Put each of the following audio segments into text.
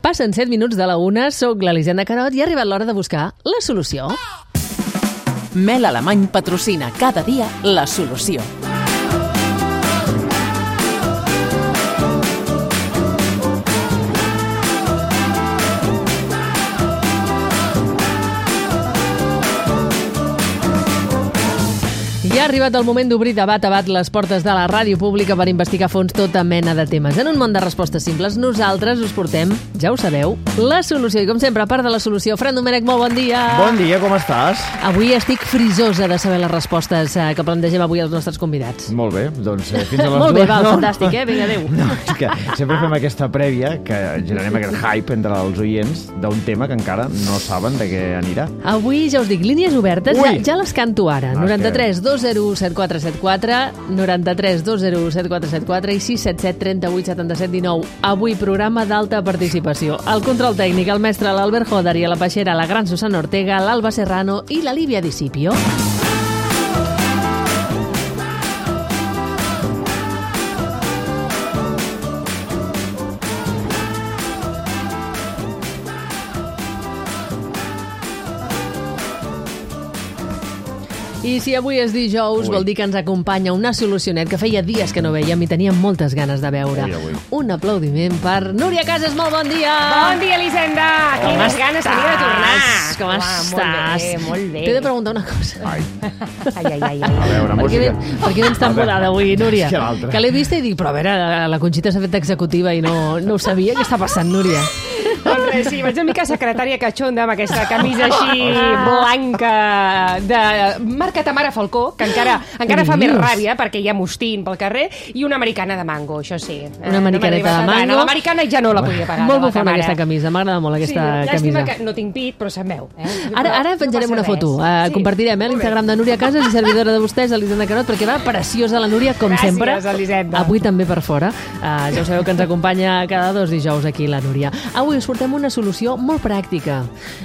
Passen 7 minuts de la 1, soc l'Elisenda Carot i ha arribat l'hora de buscar la solució. Mel Alemany patrocina cada dia la solució. Ja ha arribat el moment d'obrir de bat a bat les portes de la ràdio pública per investigar a fons tota mena de temes. En un món de respostes simples, nosaltres us portem, ja ho sabeu, la solució. I com sempre, a part de la solució, Fran Domènech, molt bon dia! Bon dia, com estàs? Avui estic frisosa de saber les respostes que plantegem avui als nostres convidats. Molt bé, doncs fins a les Molt bé, dues. val, fantàstic, Vinga, adéu. No, és que sempre fem aquesta prèvia, que generem aquest hype entre els oients d'un tema que encara no saben de què anirà. Avui, ja us dic, línies obertes, ja les canto ara. No, 93 201 7474, 93 201 7474 i 677 38 77 19. Avui programa d'alta participació. El control tècnic, el mestre l'Albert Joder i a la peixera la gran Susana Ortega, l'Alba Serrano i la Lívia Discipio. I si avui és dijous, vol dir que ens acompanya una solucionet que feia dies que no veiem i teníem moltes ganes de veure. Un aplaudiment per Núria Casas, molt bon dia! Bon dia, Elisenda! Quines ganes tenia de tornar! Com estàs? Molt bé. T'he de preguntar una cosa. Ai. Ai. A veure, música. Per què vens tan mudada avui, Núria? Que l'altra. Que l'he vista i dic, però a veure, la Conxita s'ha fet executiva i no ho sabia. Què està passant, Núria? Doncs res, sí, vaig una mica secretària catxonda amb aquesta camisa així blanca de marca Tamara Falcó, que encara fa més ràbia perquè hi ha mostín pel carrer, i una americana de mango, això sí. Una americaneta de mango. L'americana ja no la podia pagar. Molt bufona aquesta camisa, m'agrada molt aquesta camisa. Llàstima que no tinc pit, però se'n veu. Ara penjarem una foto. Compartirem l'Instagram de Núria Casas i servidora de vostès, Elisenda Carot, perquè va preciosa la Núria, com sempre. Gràcies, Elisenda. Avui també per fora. Ja ho sabeu que ens acompanya cada 2 dijous aquí la Núria. Avui us portem una solució molt pràctica.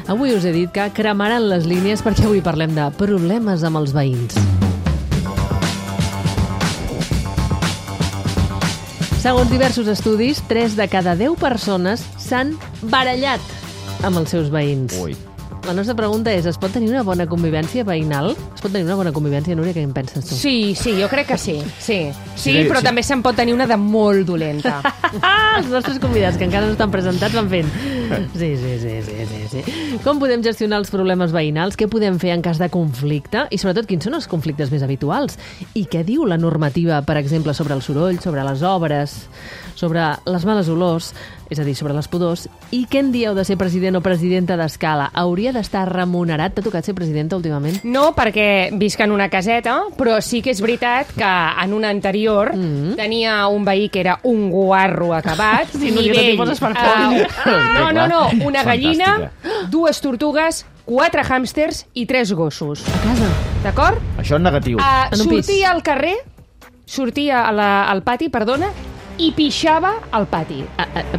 Avui us he dit que cremaran les línies perquè avui parlem de problemes amb els veïns. Segons diversos estudis, 3 de cada 10 persones s'han barallat amb els seus veïns. Ui. La nostra pregunta és, es pot tenir una bona convivència veïnal? Es pot tenir una bona convivència, Núria? Què en penses tu? Sí, jo crec que sí. Sí, però també se'n pot tenir una de molt dolenta. Els nostres convidats, que encara no estan presentats, van fent. Sí. Com podem gestionar els problemes veïnals? Què podem fer en cas de conflicte? I sobretot, quins són els conflictes més habituals? I què diu la normativa, per exemple, sobre el soroll, sobre les obres, sobre les males olors, és a dir, sobre les pudors? I què en dieu de ser president o presidenta d'Escala? Hauria d'estar remunerat? T'ha tocat ser presidenta últimament? No, perquè visc en una caseta, però sí que és veritat que en una anterior tenia un veí que era un guarro acabat. Sí, Núria, no t'hi poses per fora. No, una gallina, 2 tortugues, 4 hàmsters i 3 gossos. A casa? D'acord? Això en negatiu. Sortia al carrer, sortia al pati, perdona, i pixava al pati.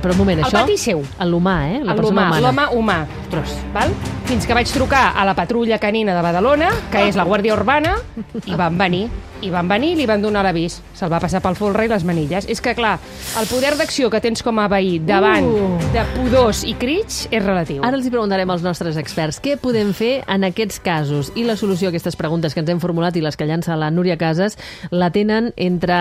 Però un moment, això... Al pati seu. L'humà, la persona humana. L'home humà. Val? Fins que vaig trucar a la patrulla canina de Badalona, que és la Guàrdia Urbana, i van venir i li van donar l'avís. Se'l va passar pel folre i les manilles. És que, clar, el poder d'acció que tens com a veí davant de pudors i crits és relatiu. Ara els hi preguntarem als nostres experts què podem fer en aquests casos. I la solució a aquestes preguntes que ens hem formulat i les que llança la Núria Casas la tenen, entre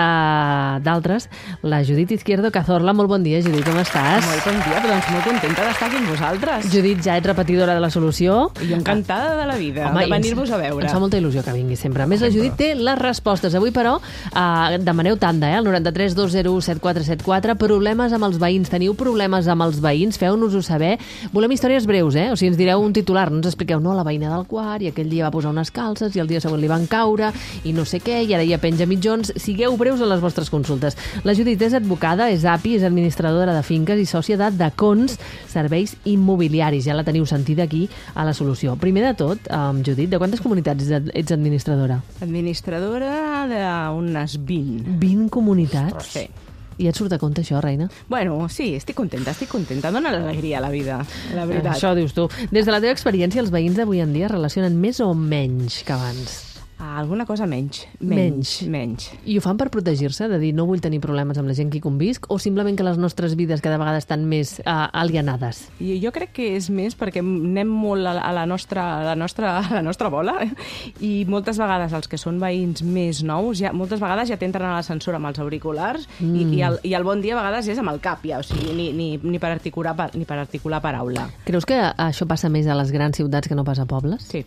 d'altres, la Judit Izquierdo Cazorla. Molt bon dia, Judit, com estàs? Molt bon dia, doncs molt contenta d'estar aquí amb vosaltres. Judit, ja ets repetidora de la solució. I encantada de la vida, home, de venir-vos a veure. Ens fa molta il·lusió que vingui sempre. A més, la Judit té les respostes. Avui, però, demaneu tanda, al 93 201 7474. Problemes amb els veïns. Teniu problemes amb els veïns? Feu-nos-ho saber. Volem històries breus, O sigui, ens direu un titular, no ens expliqueu, no, la veïna del quart, i aquell dia va posar unes calces, i el dia següent li van caure, i no sé què, i ara ja penja mitjons. Sigueu breus en les vostres consultes. La Judit és advocada, és API, és administradora de finques i sòcia de Dacons Serveis Immobiliaris. Ja la teniu sentida aquí a la solució. Primer de tot, Judit, de quantes comunitats ets administradora? Administradora d'unes 20. 20 comunitats? Sí. I et surt a compte això, reina? Bueno, sí, estic contenta. Dóna l'alegria a la vida, la veritat. Això dius tu. Des de la teva experiència, els veïns d'avui en dia relacionen més o menys que abans? Alguna cosa menys. I ho fan per protegir-se, de dir no vull tenir problemes amb la gent que convisc, o simplement que les nostres vides cada vegada estan més alienades? I jo crec que és més perquè anem molt a la nostra bola i moltes vegades els que són veïns més nous, moltes vegades ja t'entren a l'ascensor amb els auriculars i el bon dia a vegades és amb el cap, ja, o sigui, ni per articular paraula. Creus que això passa més a les grans ciutats que no pas a pobles? Sí.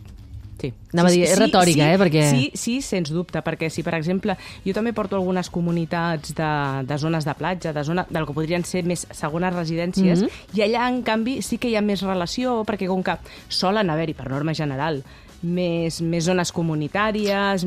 Anava a dir, és retòrica, perquè... Sí, sens dubte, perquè si, per exemple, jo també porto algunes comunitats de zones de platja, del que podrien ser més segones residències, i allà, en canvi, sí que hi ha més relació, perquè com que solen haver-hi, per norma general, més zones comunitàries,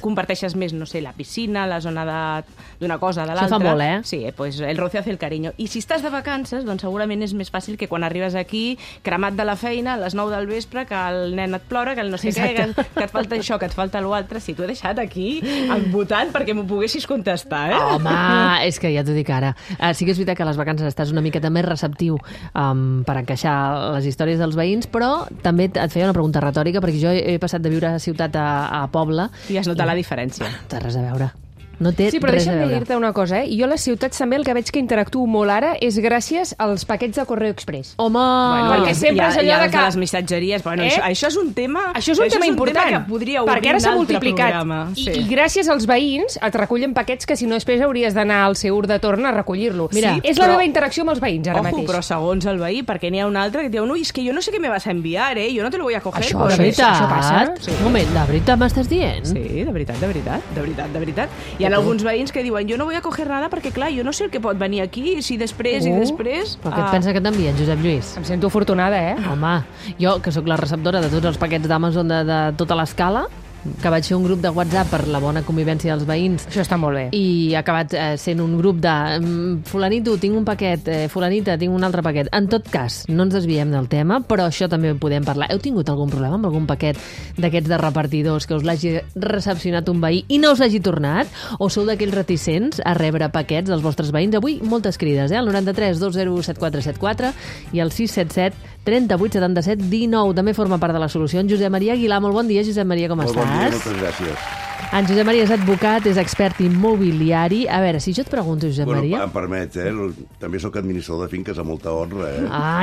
comparteixes més, no sé, la piscina, la zona d'una cosa, de l'altra. Això fa molt, eh? Sí, pues el roce hace el cariño. I si estàs de vacances, doncs segurament és més fàcil que quan arribes aquí, cremat de la feina, a les 9 del vespre, que el nen et plora, que el no sé què, que et falta això, que et falta l'altre. Si t'ho he deixat aquí, embotant, perquè m'ho poguessis contestar, eh? Home, és que ja t'ho dic ara. Sí que és veritat que a les vacances estàs una miqueta més receptiu per encaixar les històries dels veïns, però també et feia una pregunta retòrica, perquè jo he passat de viure a ciutat a poble. I has notat la diferència. No té res a veure. No té sí, però res a deixa'm veure. dir-te una cosa, Jo a les ciutats també el que veig que interactuo molt ara és gràcies als paquets de Correo Express. Home! Perquè sempre és allò de que... les missatgeries. Bueno, això és un tema... Això és un tema important, que podria obrir perquè ara s'ha multiplicat. Sí. I gràcies als veïns et recullen paquets que si no després hauries d'anar al seu de torn a recollir-lo. Mira, és la meva interacció amb els veïns ara mateix. Però segons el veí, perquè n'hi ha un altre que diu, no, és que jo no sé què me vas a enviar, yo no te lo voy a coger. Això passa? Sí. Un moment, de veritat m'estàs dient? Sí, de veritat. Hi ha alguns veïns que diuen, jo no voy a coger nada perquè, clar, jo no sé el que pot venir aquí, si després i després... Però què et pensa que t'envien, Josep Lluís? Em sento afortunada, Home, jo, que sóc la receptora de tots els paquets d'Amazon de tota l'escala, que vaig fer un grup de WhatsApp per la bona convivència dels veïns. Això està molt bé. I ha acabat sent un grup de fulanito, tinc un paquet, fulanita, tinc un altre paquet. En tot cas, no ens desviem del tema, però això també ho podem parlar. Heu tingut algun problema amb algun paquet d'aquests de repartidors que us l'hagi recepcionat un veí i no us l'hagi tornat? O sou d'aquells reticents a rebre paquets dels vostres veïns? Avui, moltes crides, el 93 201 7474 i el 677 38 77 19. També forma part de la solució. En Josep Maria Aguilar, molt bon dia, Josep Maria, com estàs? Bon dia, moltes gràcies. En Josep Maria és advocat, és expert immobiliari. A veure, si jo et pregunto, Josep Maria... Em permet, també sóc administrador de finques a molta honra,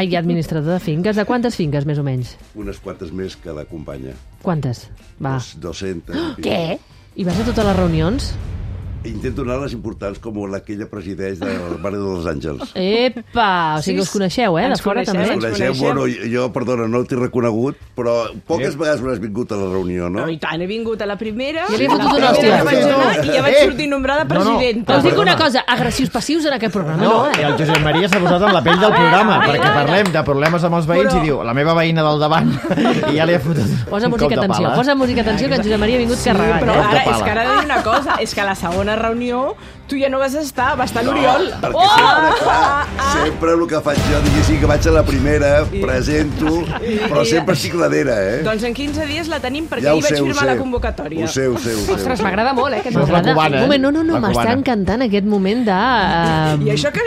i administrador de finques. De quantes finques, més o menys? Unes quantes més que la companya. Quantes? Va. 200. Què? I vas a totes les reunions? Intento anar a les importants com la que ella presideix del barri de Los Àngels. Epa! O sigui que us coneixeu, de fora també. Ens coneixem, bueno, jo, perdona, no t'he reconegut, però poques vegades m'has vingut a la reunió, no? No, i tant, he vingut a la primera, I ja vaig sortir nombrada presidenta. Us dic una cosa, agressius passius en aquest programa, no? I el Josep Maria s'ha posat en la pell del programa, perquè parlem de problemes amb els veïns i diu, la meva veïna del davant, i ja li ha fotut un cop de pala. Posa música, atenció, que en Josep Maria ha vingut carregat. Però ara, és que ara he de dir una cosa, és que a la segona reunió tu ja no vas estar, va estar l'Oriol. Perquè sempre el que faig jo, diguéssim que vaig a la primera, presento, però sempre estic darrere, Doncs en 15 dies la tenim perquè ahir vaig firmar la convocatòria. Ho sé. Ostres, m'agrada molt, que m'agrada. Un moment, no, m'està encantant aquest moment de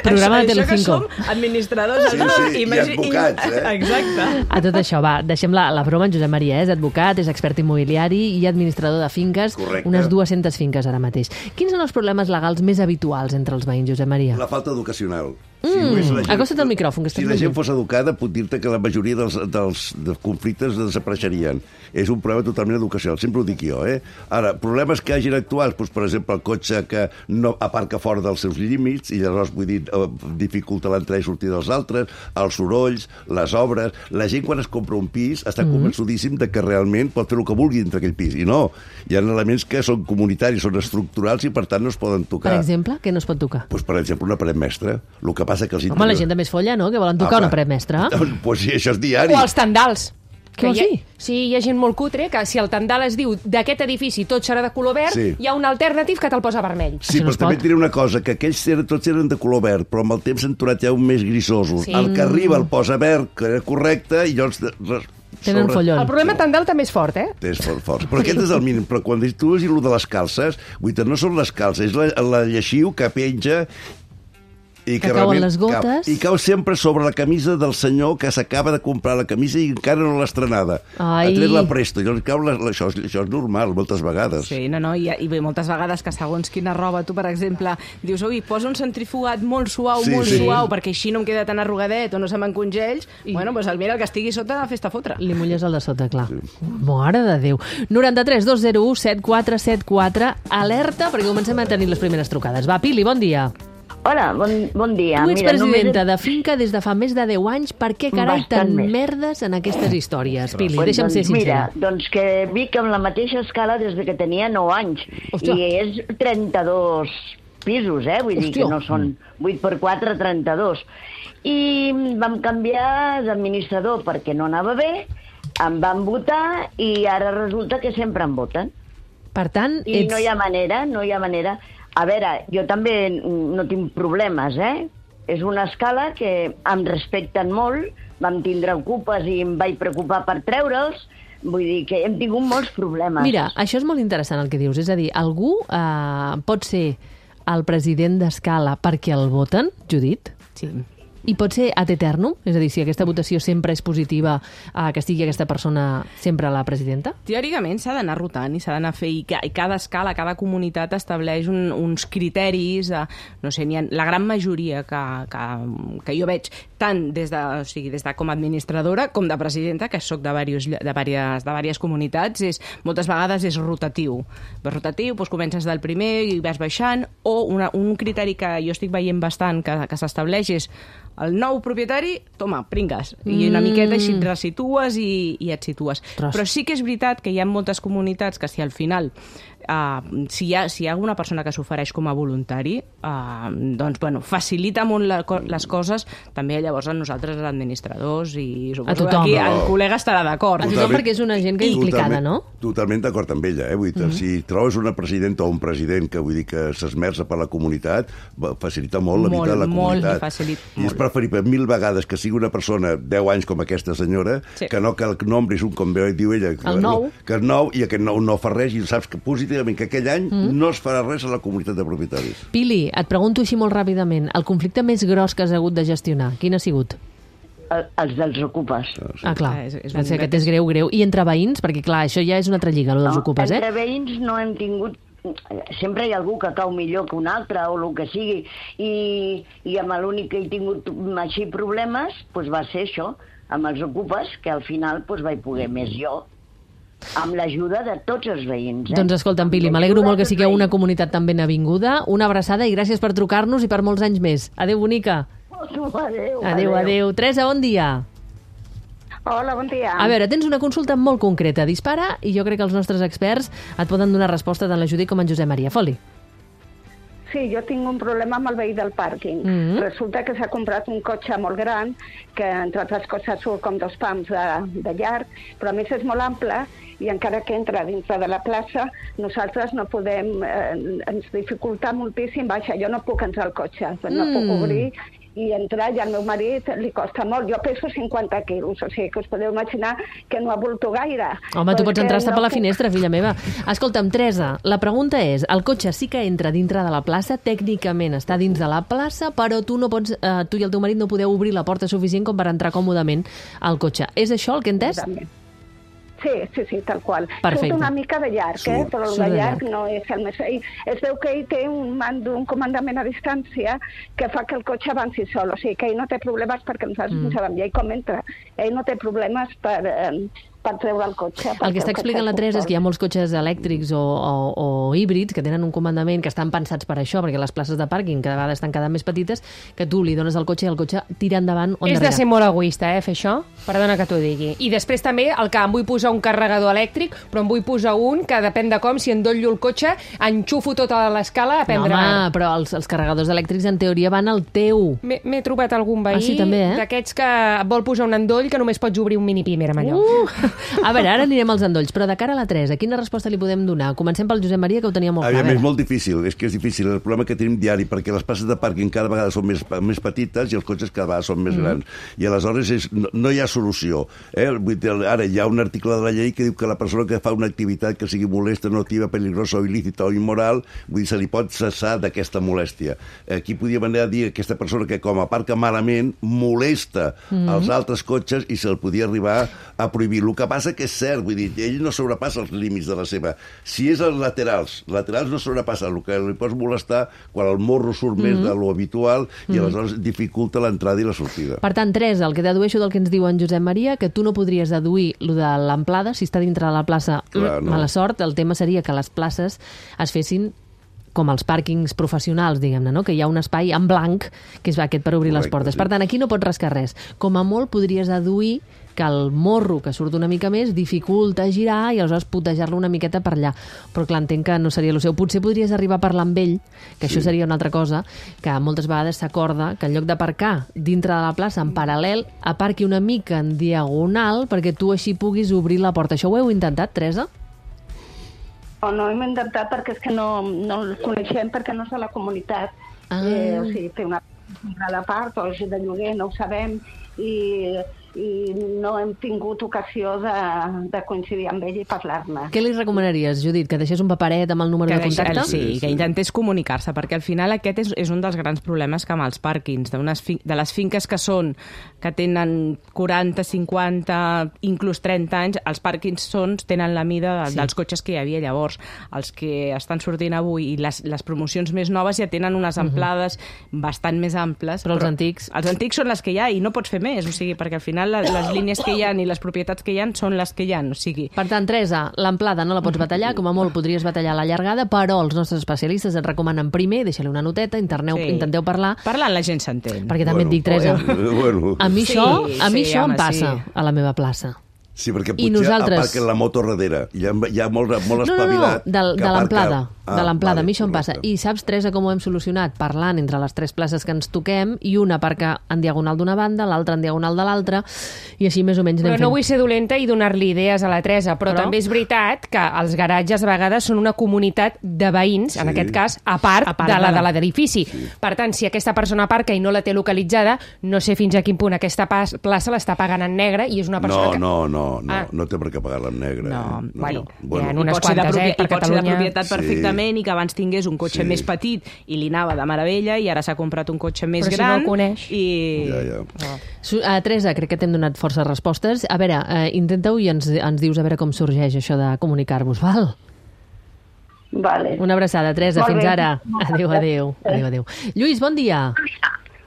programa de Telecinco. Això que som administradors i advocats, Exacte. A tot això, va, deixem la broma. En Josep Maria és advocat, és expert immobiliari i administrador de finques. Correcte. Unes 200 finques ara mateix. Quins són els problemes legals més habituals entre els veïns, Josep Maria? La falta educacional. Acosta't al micròfon, que si la gent fos educada, puc dir-te que la majoria dels conflictes desapareixerien. És un problema totalment educacional, sempre ho dic jo. Ara, problemes que hagin actuals, doncs, per exemple, el cotxe que no aparca fora dels seus límits, i llavors, vull dir, dificulta l'entrada i sortida dels altres, els sorolls, les obres... La gent, quan es compra un pis, està convençudíssim de que realment pot fer el que vulgui dintre aquell pis. I no, hi ha elements que són comunitaris, són estructurals i, per tant, no es poden tocar. Per exemple, què no es pot tocar? Doncs, per exemple, una paret mestra. El que passa que els Home, la gent de més folla, no?, que volen tocar una paret mestra. Doncs sí, això és diari. O els tendals. Què vols dir? Sí, hi ha gent molt cutre que si el tendal es diu d'aquest edifici tot serà de color verd, hi ha un alternatiu que te'l posa vermell. Sí, però també et diré una cosa, que aquells tots eren de color verd, però amb el temps s'han tornat ja un més grisosos. El que arriba el posa verd, que era correcte, i llavors... Tenen follon. El problema tendal també és fort, És fort. Però aquest és el mínim. Però quan tu dius de les calces, no són les calces, és la lleixiu que penja I que cauen les gotes. I cau sempre sobre la camisa del senyor que s'acaba de comprar la camisa i encara no l'ha estrenada. Ha tret la presto. I cau això és normal, moltes vegades. Sí, i bé, moltes vegades que segons quina roba, tu, per exemple, dius, ui, posa un centrifugat molt suau, suau, perquè així no em queda tan arrugadet o no se m'encongells. Bueno, doncs mira, el que estigui sota, fes-te fotre. Li mulles el de sota, clar. Mare de Déu. 93 201 7474. Alerta, perquè comencem a tenir les primeres trucades. Va, Pili, bon dia. Hola, bon dia. Tu ets presidenta de finca des de fa més de 10 anys. Per què, carai, tan merdes en aquestes històries? Pili, deixa'm ser sincera. Mira, doncs que vic amb la mateixa escala des de que tenia 9 anys. Hòstia. I és 32 pisos, vull dir que no són 8x4, 32. I vam canviar d'administrador perquè no anava bé, em van votar i ara resulta que sempre em voten. Per tant, I no hi ha manera. A veure, jo també no tinc problemes, És una escala que em respecten molt, vam tindre ocupes i em vaig preocupar per treure'ls, vull dir que hem tingut molts problemes. Mira, això és molt interessant el que dius, és a dir, algú pot ser el president d'escala perquè el voten, Judit? Sí. I pot ser ad eternum? És a dir, si aquesta votació sempre és positiva, que estigui aquesta persona sempre la presidenta? Teòricament s'ha d'anar rotant i s'ha d'anar fer... I cada escala, cada comunitat estableix uns criteris, no sé, la gran majoria que jo veig, tant des de com a administradora com de presidenta, que soc de diverses comunitats, moltes vegades és rotatiu. És rotatiu, doncs comences del primer i vas baixant, o un criteri que jo estic veient bastant que s'estableix és el nou propietari, toma, pringues. I una miqueta així et resitues i et situes. Però sí que és veritat que hi ha moltes comunitats que si al final si hi ha alguna persona que s'ofereix com a voluntari, doncs, bueno, facilita molt les coses, també llavors a nosaltres, els administradors, i suposo que aquí el col·lega estarà d'acord. A tothom, perquè és una gent que implicada, no? Totalment d'acord amb ella, vull dir, si trobes una presidenta o un president que vull dir que s'esmerça per la comunitat, facilita molt la vida de la comunitat. I és preferible 1000 vegades que sigui una persona 10 anys com aquesta senyora, que no que el nombre és un, com diu ella, que és nou, i aquest nou no fa res, i saps que positivament que aquell any no es farà res a la comunitat de propietaris. Pili, et pregunto així molt ràpidament, el conflicte més gros que has hagut de gestionar, quin ha sigut? Els dels ocupes. Clar, aquest és greu. I entre veïns? Perquè, clar, això ja és una altra lliga, el dels ocupes, Entre veïns no hem tingut... Sempre hi ha algú que cau millor que un altre, o el que sigui, i amb l'únic que he tingut així problemes, va ser això, amb els ocupes, que al final vaig poder més jo, amb l'ajuda de tots els veïns. Doncs escolta'm, Pili, m'alegro molt que sigueu una comunitat tan ben avinguda. Una abraçada i gràcies per trucar-nos i per molts anys més. Adéu, bonica. Adéu. Teresa, bon dia. Hola, bon dia. A veure, tens una consulta molt concreta. Dispara i jo crec que els nostres experts et poden donar resposta tant la Judit com en Josep Maria. Foli. Sí, jo tinc un problema amb el veí del pàrquing. Resulta que s'ha comprat un cotxe molt gran, que entre altres coses surt com 2 pams de llarg, però a més és molt ample, i encara que entra dintre de la plaça, nosaltres no podem, ens dificulta moltíssim baixar. Jo no puc entrar al cotxe, no puc obrir i entrar, i al meu marit li costa molt. Jo peso 50 quilos, o sigui que us podeu imaginar que no avolto gaire. Home, tu pots entrar-te per la finestra, filla meva. Escolta'm, Teresa, la pregunta és, el cotxe sí que entra dintre de la plaça, tècnicament està dins de la plaça, però tu no pots, tu i el teu marit no podeu obrir la porta suficient com per entrar còmodament al cotxe. És això el que he entès? Sí, tal qual. Perfecte. Surt una mica de llarg, però el de llarg no és el més... Es veu que ell té un comandament a distància que fa que el cotxe avanci sol, o sigui que ell no té problemes perquè nosaltres no sabem ja com entra. Ell no té problemes per treure el cotxe. El que està explicant la Teresa és que hi ha molts cotxes elèctrics o híbrids que tenen un comandament que estan pensats per això, perquè les places de pàrquing cada vegada estan cada més petites, que tu li dones el cotxe i el cotxe tira endavant o endarrere. És de ser molt egoista, fer això? Perdona que t'ho digui. I després també el que em vull posar un carregador elèctric, però em vull posar un que depèn de com, si endollo el cotxe, enxufo tota l'escala a prendre... Home, però els carregadors elèctrics en teoria van al teu. M'he trobat algun veí d'aquests que vol posar un endoll que només pots obrir un mini pimer amb allò. A veure, ara anirem als endolls, però de cara a la Teresa, quina resposta li podem donar? Comencem pel Josep Maria, que ho tenia molt clar. És molt difícil, és que és difícil. El problema que tenim diari, perquè les places de pàrquing cada vegada són més petites i els cotxes cada vegada són més grans. I aleshores no hi ha solució. Ara hi ha un article de la llei que diu que la persona que fa una activitat que sigui molesta, nociva, peligrosa o il·lícita o immoral, vull dir, se li pot cessar d'aquesta molèstia. Aquí podríem anar a dir que aquesta persona que com aparca malament molesta els altres cotxes i se'l podia arribar a prohibir. El que passa que és cert, vull dir, ell no sobrepassa els límits de la seva. Si és els laterals no sobrepassa. El que li pots molestar quan el morro surt més de lo habitual i aleshores dificulta l'entrada i la sortida. Per tant, Teresa, el que dedueixo del que ens diu en Josep Maria, que tu no podries deduir lo de l'amplada, si està dintre de la plaça, mala sort. El tema seria que les places es fessin com els pàrquings professionals, diguem-ne, no? Que hi ha un espai en blanc, que és aquest per obrir les portes. Per tant, aquí no pots rascar res. Com a molt podries deduir que el morro que surt una mica més dificulta girar i aleshores putejar-lo una miqueta per allà. Però clar, entenc que no seria el seu. Potser podries arribar a parlar amb ell, que això seria una altra cosa, que moltes vegades s'acorda que en lloc d'aparcar dintre de la plaça en paral·lel, aparqui una mica en diagonal perquè tu així puguis obrir la porta. Això ho heu intentat, Teresa? No hem intentat perquè és que no el coneixem, perquè no és a la comunitat. O sigui, té una part o és de lloguer, no ho sabem, i no hem tingut ocasió de coincidir amb ell i parlar-ne. Què li recomanaries, Judit? Que deixés un paperet amb el número de contacte? Sí, que intentés comunicar-se, perquè al final aquest és un dels grans problemes que amb els pàrquings, de les finques que tenen 40, 50, inclús 30 anys, els pàrquings tenen la mida dels cotxes que hi havia llavors. Els que estan sortint avui i les promocions més noves ja tenen unes amplades bastant més amples. Però els antics? Els antics són les que hi ha i no pots fer més, o sigui, perquè al final les línies que hi ha i les propietats que hi ha són les que hi ha, o sigui... Per tant, Teresa, l'amplada no la pots batallar, com a molt podries batallar la llargada, però els nostres especialistes et recomanen primer, deixa-li una noteta, intenteu parlar... Parlant la gent s'entén. Perquè també et dic, Teresa, a mi això em passa a la meva plaça. Sí, perquè potser aparquen la moto darrere. Hi ha molt espavilat. No, de l'amplada. De l'amplada, a mi això em passa. I saps, Teresa, com ho hem solucionat? Parlant entre les tres places que ens toquem i una aparca en diagonal d'una banda, l'altra en diagonal de l'altra, i així més o menys anem fent. Però no vull ser dolenta i donar-li idees a la Teresa, però també és veritat que els garatges a vegades són una comunitat de veïns, en aquest cas, a part de la de l'edifici. Per tant, si aquesta persona aparca i no la té localitzada, no sé fins a quin punt aquesta plaça l'està pagant en negre i és una persona no té per què pagar-la en negre. Bueno, hi ha unes quantes, per Catalunya. Pot ser de propietat perfectament i que abans tingués un cotxe més petit i li anava de meravella i ara s'ha comprat un cotxe més gran. Però si no el coneix. Teresa, crec que t'hem donat força respostes. A veure, intenta-ho i ens dius a veure com sorgeix això de comunicar-vos, val? Vale. Una abraçada, Teresa. Fins ara. Adéu. Lluís, bon dia.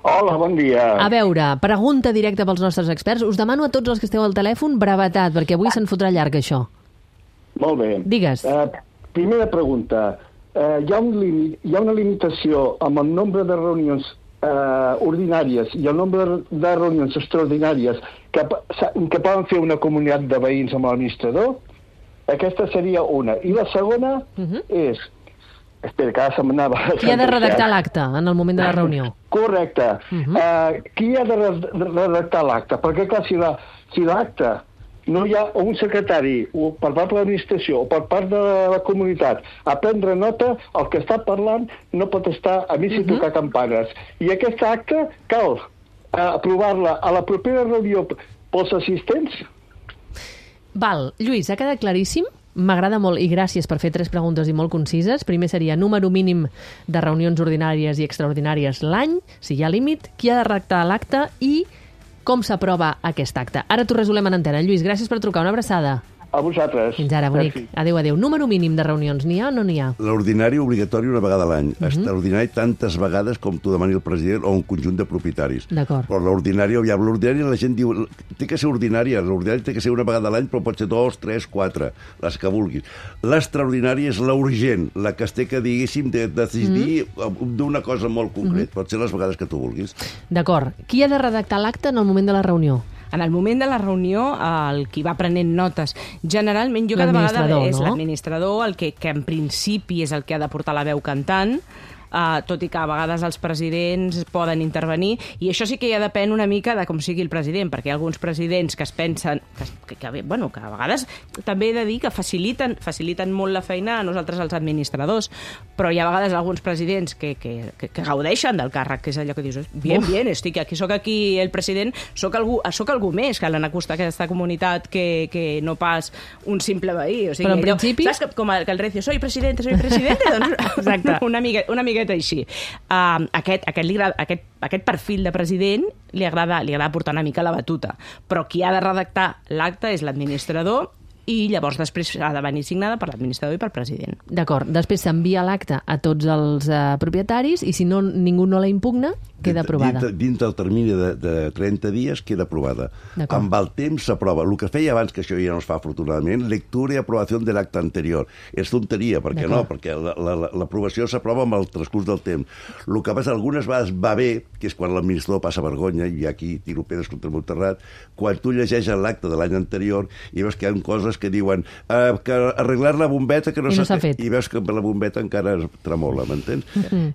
Hola, bon dia. A veure, pregunta directa pels nostres experts. Us demano a tots els que esteu al telèfon brevetat, perquè avui se'n fotrà llarg, això. Molt bé. Digues. Primera pregunta. Hi ha una limitació amb el nombre de reunions ordinàries i el nombre de reunions extraordinàries que poden fer una comunitat de veïns amb l'administrador? Aquesta seria una. I la segona és... Espera, que ara se'm anava... Qui ha de redactar l'acte en el moment de la reunió? Correcte. Qui ha de redactar l'acte? Perquè, clar, si l'acte no hi ha un secretari o per part de l'administració o per part de la comunitat a prendre nota, el que està parlant no pot estar a mig i tocar campanes. I aquest acte cal aprovar-la a la propera reunió pels assistents? Val. Lluís, ha quedat claríssim? M'agrada molt i gràcies per fer 3 preguntes i molt concises. Primer seria número mínim de reunions ordinàries i extraordinàries l'any, si hi ha límit, qui ha de redactar l'acte i com s'aprova aquest acte. Ara t'ho resolem en antena. Lluís, gràcies per trucar. Una abraçada. A vosaltres. Fins ara, bonic. Adéu. Número mínim de reunions, n'hi ha o no n'hi ha? L'ordinari obligatori una vegada a l'any. Extraordinari tantes vegades com t'ho demani el president o un conjunt de propietaris. D'acord. Però l'ordinari la gent diu té que ser ordinària. L'ordinari té que ser una vegada a l'any, però pot ser 2, 3, 4, les que vulguis. L'extraordinària és la urgent, la que es té que, diguéssim, de decidir d'una cosa molt concret. Pot ser les vegades que tu vulguis. D'acord. Qui ha de redactar l'acte en el moment de la reunió? En el moment de la reunió, el qui va prenent notes, generalment jo cada vegada és l'administrador, el que en principi és el que ha de portar la veu cantant, tot i que a vegades els presidents poden intervenir, i això sí que ja depèn una mica de com sigui el president, perquè hi ha alguns presidents que es pensen que a vegades també he de dir que faciliten molt la feina a nosaltres els administradors, però hi ha a vegades alguns presidents que gaudeixen del càrrec, que és allò que dius, bien, estic aquí, soc aquí el president, soc algú més que l'han acostat a aquesta comunitat que no pas un simple veí. O sigui, però en principi... Saps com el Recio, soy presidente, doncs exacte, una miqueta així. Aquest perfil de president li agrada portar una mica la batuta, però qui ha de redactar l'acte és l'administrador, i llavors després ha de venir signada per l'administrador i pel president. D'acord. Després s'envia l'acte a tots els propietaris i si ningú no la impugna, queda aprovada. Dins del termini de 30 dies queda aprovada. Amb el temps s'aprova. El que feia abans, que això ja no es fa afortunadament, lectura i aprovació de l'acte anterior. És tonteria, perquè no? Perquè l'aprovació s'aprova amb el transcurs del temps. El que passa algunes vegades va bé, que és quan l'administrador passa vergonya, i aquí tiro pedres contra el meu terrat, quan tu llegeixes l'acte de l'any anterior i veus que hi ha coses que diuen que arreglar la bombeta que no s'ha fet. I veus que la bombeta encara tremola, m'entens?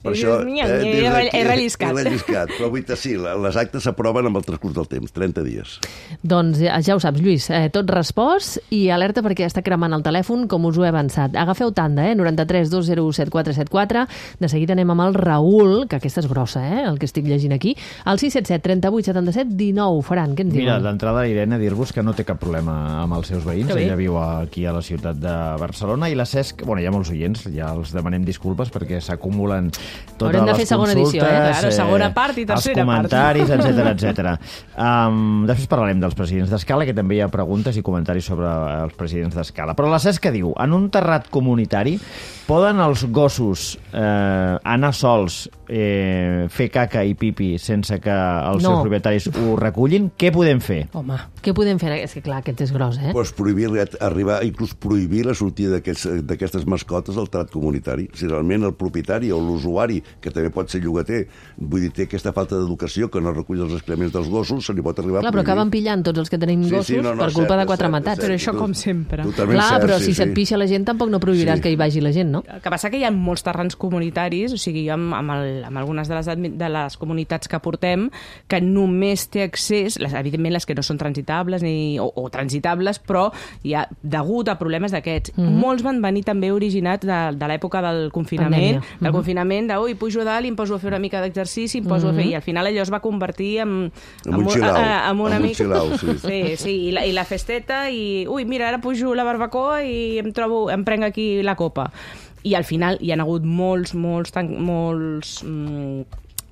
Per això... He relliscat. Però vull dir, sí, les actes s'aproven amb el transcurs del temps, 30 dies. Doncs ja ho saps, Lluís, tot respost i alerta perquè està cremant el telèfon, com us ho he avançat. Agafeu tanda, 93 201 7474. De seguida anem amb el Raül, que aquesta és grossa, el que estic llegint aquí. El 677 38 77 19. Faran, què ens diuen? Mira, d'entrada, Irene, dir-vos que no té cap problema amb els seus veïns. Ella viu aquí a la ciutat de Barcelona i la Cesc, hi ha molts oients, ja els demanem disculpes perquè s'acumulen totes les consultes, segona part i tercera part. Els comentaris, etc. Després parlarem dels presidents d'escala, que també hi ha preguntes i comentaris sobre els presidents d'escala. Però la Cesc diu, en un terrat comunitari poden els gossos anar sols, fer caca i pipi sense que els seus propietaris ho recullin? Què podem fer? Home, què podem fer? És que clar, aquest és gros, Pues inclús prohibir la sortida d'aquestes mascotes al terrat comunitari. Si realment el propietari o l'usuari, que també pot ser llogater, vull dir, té aquesta falta d'educació que no recull els excrements dels gossos, se li pot arribar a prohibir. Però acaben pillant tots els que tenim gossos per culpa de quatre matats. Però això com sempre. Clar, però si se't pixa la gent tampoc no prohibiràs que hi vagi la gent, no? El que passa que hi ha molts terrans comunitaris, o sigui, jo amb algunes de les comunitats que portem, que només té accés, evidentment les que no són transitables o transitables, però hi ha degut a problemes d'aquests. Molts van venir també originats de l'època del confinament, pujo a dalt i em poso a fer una mica d'exercici, i al final allò es va convertir en un xilau. Sí, i la festeta, i mira, ara pujo la barbacoa i em prenc aquí la copa. I al final hi ha hagut molts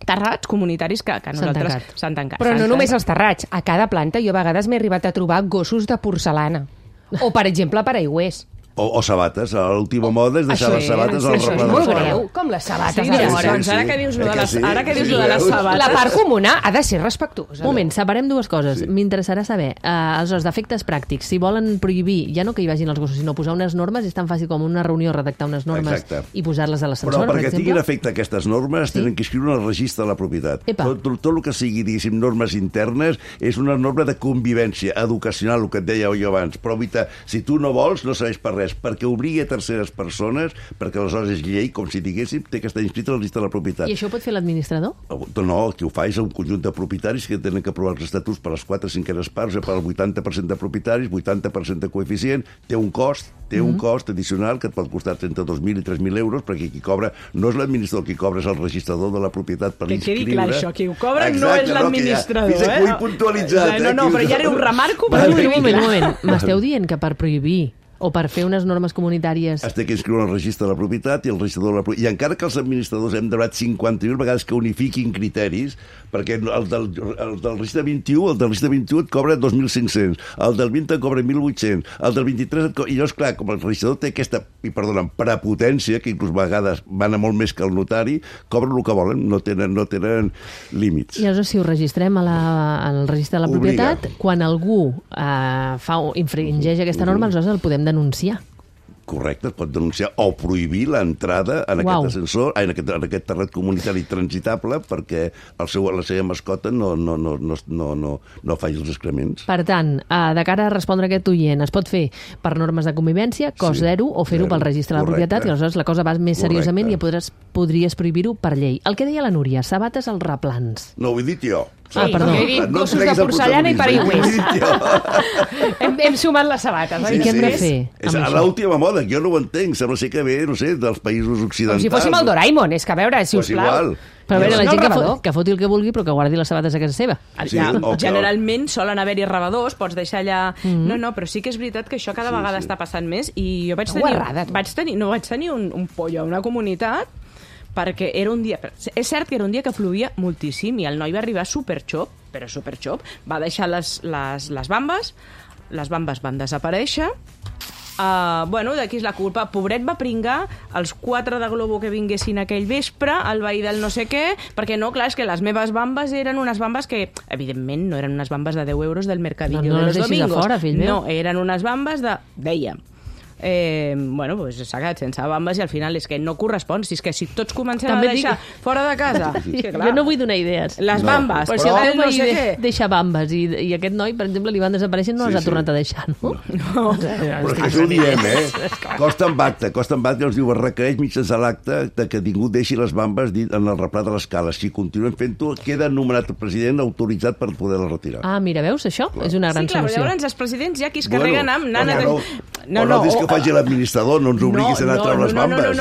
terrats comunitaris que nosaltres s'han tancat. Però no només els terrats. A cada planta jo a vegades m'he arribat a trobar gossos de porcelana. O, per exemple, paraigüers. O sabates. L'última moda és deixar les sabates al replà de és molt greu, com les sabates. Ara que dius lo de les sabates... La part comuna ha de ser respectuosa. Un moment, separem dues coses. M'interessarà saber, aleshores, d'efectes pràctics, si volen prohibir, ja no que hi vagin els gossos, sinó posar unes normes, és tan fàcil com una reunió redactar unes normes i posar-les a l'ascensor, però perquè tinguin efecte aquestes normes, tenen que escriure en el registre de la propietat. Tot el que sigui, diguéssim, normes internes, és una norma de convivència educacional, el que et deia jo abans. Però, si tu no vols, no serveix per res, perquè obligui a terceres persones, perquè aleshores és llei, com si diguéssim, té que estar inscrit a la llista de la propietat. I això ho pot fer l'administrador? No, el que ho fa és un conjunt de propietaris que tenen que aprovar els estatuts per les 4/5 parts, o per al 80% de propietaris, 80% de coeficient, té un cost addicional que et pot costar 32.000 i 3.000 euros, perquè qui cobra no és l'administrador, qui cobra és el registrador de la propietat per inscriure. Que quedi clar això, qui ho cobra no és l'administrador. Fins aquí ho he puntualitzat. No, però ja ho remarco. Un moment. M'esteu dient que per prohibir o per fer unes normes comunitàries... Es té que inscriure el registre de la propietat i el registrador de la propietat. I encara que els administradors hem demanat 50.000 vegades que unifiquin criteris, perquè el del registre 21, el del registre 21 et cobra 2.500, el del 20 et cobra 1.800, el del 23 et cobra... I llavors, clar, com el registrador té aquesta, prepotència, que inclús a vegades van a molt més que el notari, cobren el que volen, no tenen límits. I aleshores, si ho registrem al registre de la propietat, quan algú infringeix aquesta norma, aleshores el podem denunciar. Correcte, es pot denunciar o prohibir l'entrada en aquest ascensor, en aquest terrat comunitari transitable, perquè la seva mascota no faci els excrements. Per tant, de cara a respondre a aquest oient, es pot fer per normes de convivència, cost zero, o fer-ho pel registre de la propietat, i aleshores la cosa va més seriosament i ja podràs podries prohibir-ho per llei. El que deia la Núria, sabates als replans. No, ho he dit jo. Perdó. Jo he dit gossos de porcellana i paraigües. Hem sumat les sabates. I què hem de fer És amb això? l'última moda, jo no ho entenc. Sembla ser que ve, no sé, dels països occidentals. Com si fóssim el Doraemon, és que a veure, si us plau. Però a veure, la No, gent rebedor. que foti el que vulgui, però que guardi les sabates a casa seva. Sí, o que- Generalment solen haver-hi rebedors, pots deixar allà... No, però sí que és veritat que això cada vegada està passant més i jo vaig tenir un pollo a una comunitat perquè era un dia... És cert que era un dia que plovia moltíssim i el noi va arribar superxop, però superxop, va deixar les bambes van desaparèixer. Bueno, d'aquí és la culpa. Pobret va pringar els 4 de Globo que vinguessin aquell vespre, el veí del no sé què, perquè no, clar, és que les meves bambes eren unes bambes que, evidentment, no eren unes bambes de 10 euros del mercadillo No de les los deixis a domingos. fora, fill meu. No, eren unes bambes de... Dèiem. Bueno, pues s'ha quedat sense bambes i al final és que no correspon. Si és que si tots comencem També a deixar fora de casa... Sí, que, clar, jo no vull donar idees. les bambes, Però si el teu no veí sé què... deixa bambes i aquest noi, per exemple, li van desaparèixer i no les ha tornat a deixar, no? Però és que això ho diem, Costa en acte ens diu, es requereix mitjançant l'acte de que ningú deixi les bambes en el replà de l'escala. Si continuen fent-ho, queda nomenat el president autoritzat per poder-la retirar. Ah, mira, veus, això? És una gran Sí, clar, però solució. llavors els presidents ja qui es carreguen amb... No dis que ho faci l'administrador, no ens obliguis a anar a treure les bambes.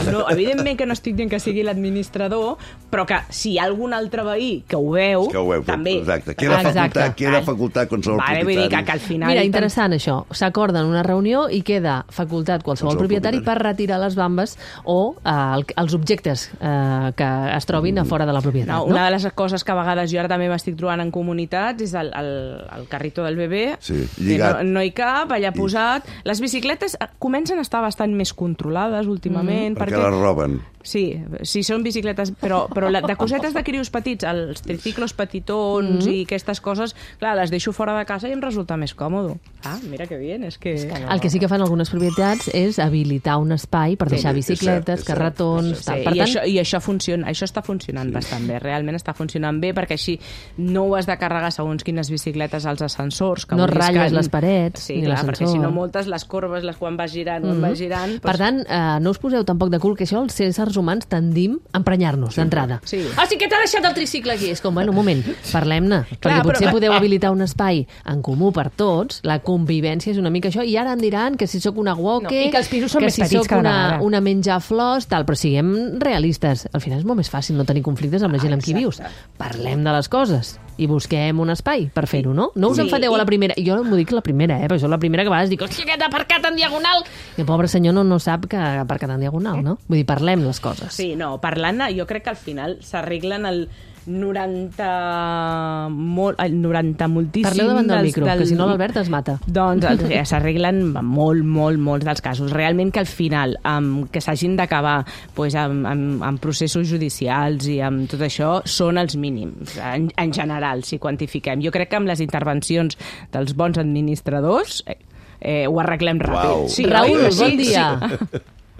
No, evidentment que no estic dient que sigui l'administrador, però que si hi ha algun altre veí que ho veu, també... Exacte, queda facultat qualsevol Vale, vull dir propietari. que al final... Mira, interessant això. S'acorda en una reunió i queda facultat qualsevol propietari per retirar les bambes o els objectes que es trobin a fora de la propietat. No, una de les coses que a vegades jo ara també m'estic trobant en comunitats és el carrito del bebè, que no hi cap, allà posat. Les bicicletes comencen a estar bastant més controlades últimament. Perquè les roben. Sí, són bicicletes, però de cosetes de crios petits, els triciclos petitons i aquestes coses, clar, les deixo fora de casa i em resulta més còmode. Ah, mira que bien, és que... El que sí que fan algunes propietats és habilitar un espai per deixar bicicletes, carretons... I això funciona, això està funcionant bastant bé, realment està funcionant bé, perquè així no ho has de carregar segons quines bicicletes als ascensors. No ratlles les parets ni l'ascensor. Perquè si no moltes les corbes, quan vas girant, Per tant, no us poseu tampoc de cul que això els éssers humans tendim a emprenyar-nos d'entrada. Sí. Ah, sí que t'ha deixat el tricicle aquí. És com, bueno, un moment, parlem-ne. Perquè potser podeu habilitar un espai en comú per tots, la convivència és una mica això, i ara em diran que si sóc una woke, i que els pisos són més petits soc una menjaflors, tal, però siguem realistes. Al final és molt més fàcil no tenir conflictes amb la gent amb qui vius. Parlem de les coses i busquem un espai per fer-ho, no? No us enfadeu a la primera. Jo m'ho dic la primera, perquè jo la primera que a vegades dic, hòstia, aquest ha aparcat en diagonal! I el pobre senyor no sap que ha aparcat en diagonal, no? Vull dir, parlem les coses. Sí, no, parlant, jo crec que al final s'arreglen el 90 moltíssim... Parleu davant del micro, que si no l'Albert es mata. Doncs s'arreglen molts dels casos. Realment que al final, que s'hagin d'acabar amb processos judicials i amb tot això, són els mínims, en general, si quantifiquem. Jo crec que amb les intervencions dels bons administradors ho arreglem ràpid. Wow. Sí, Raül, bon dia.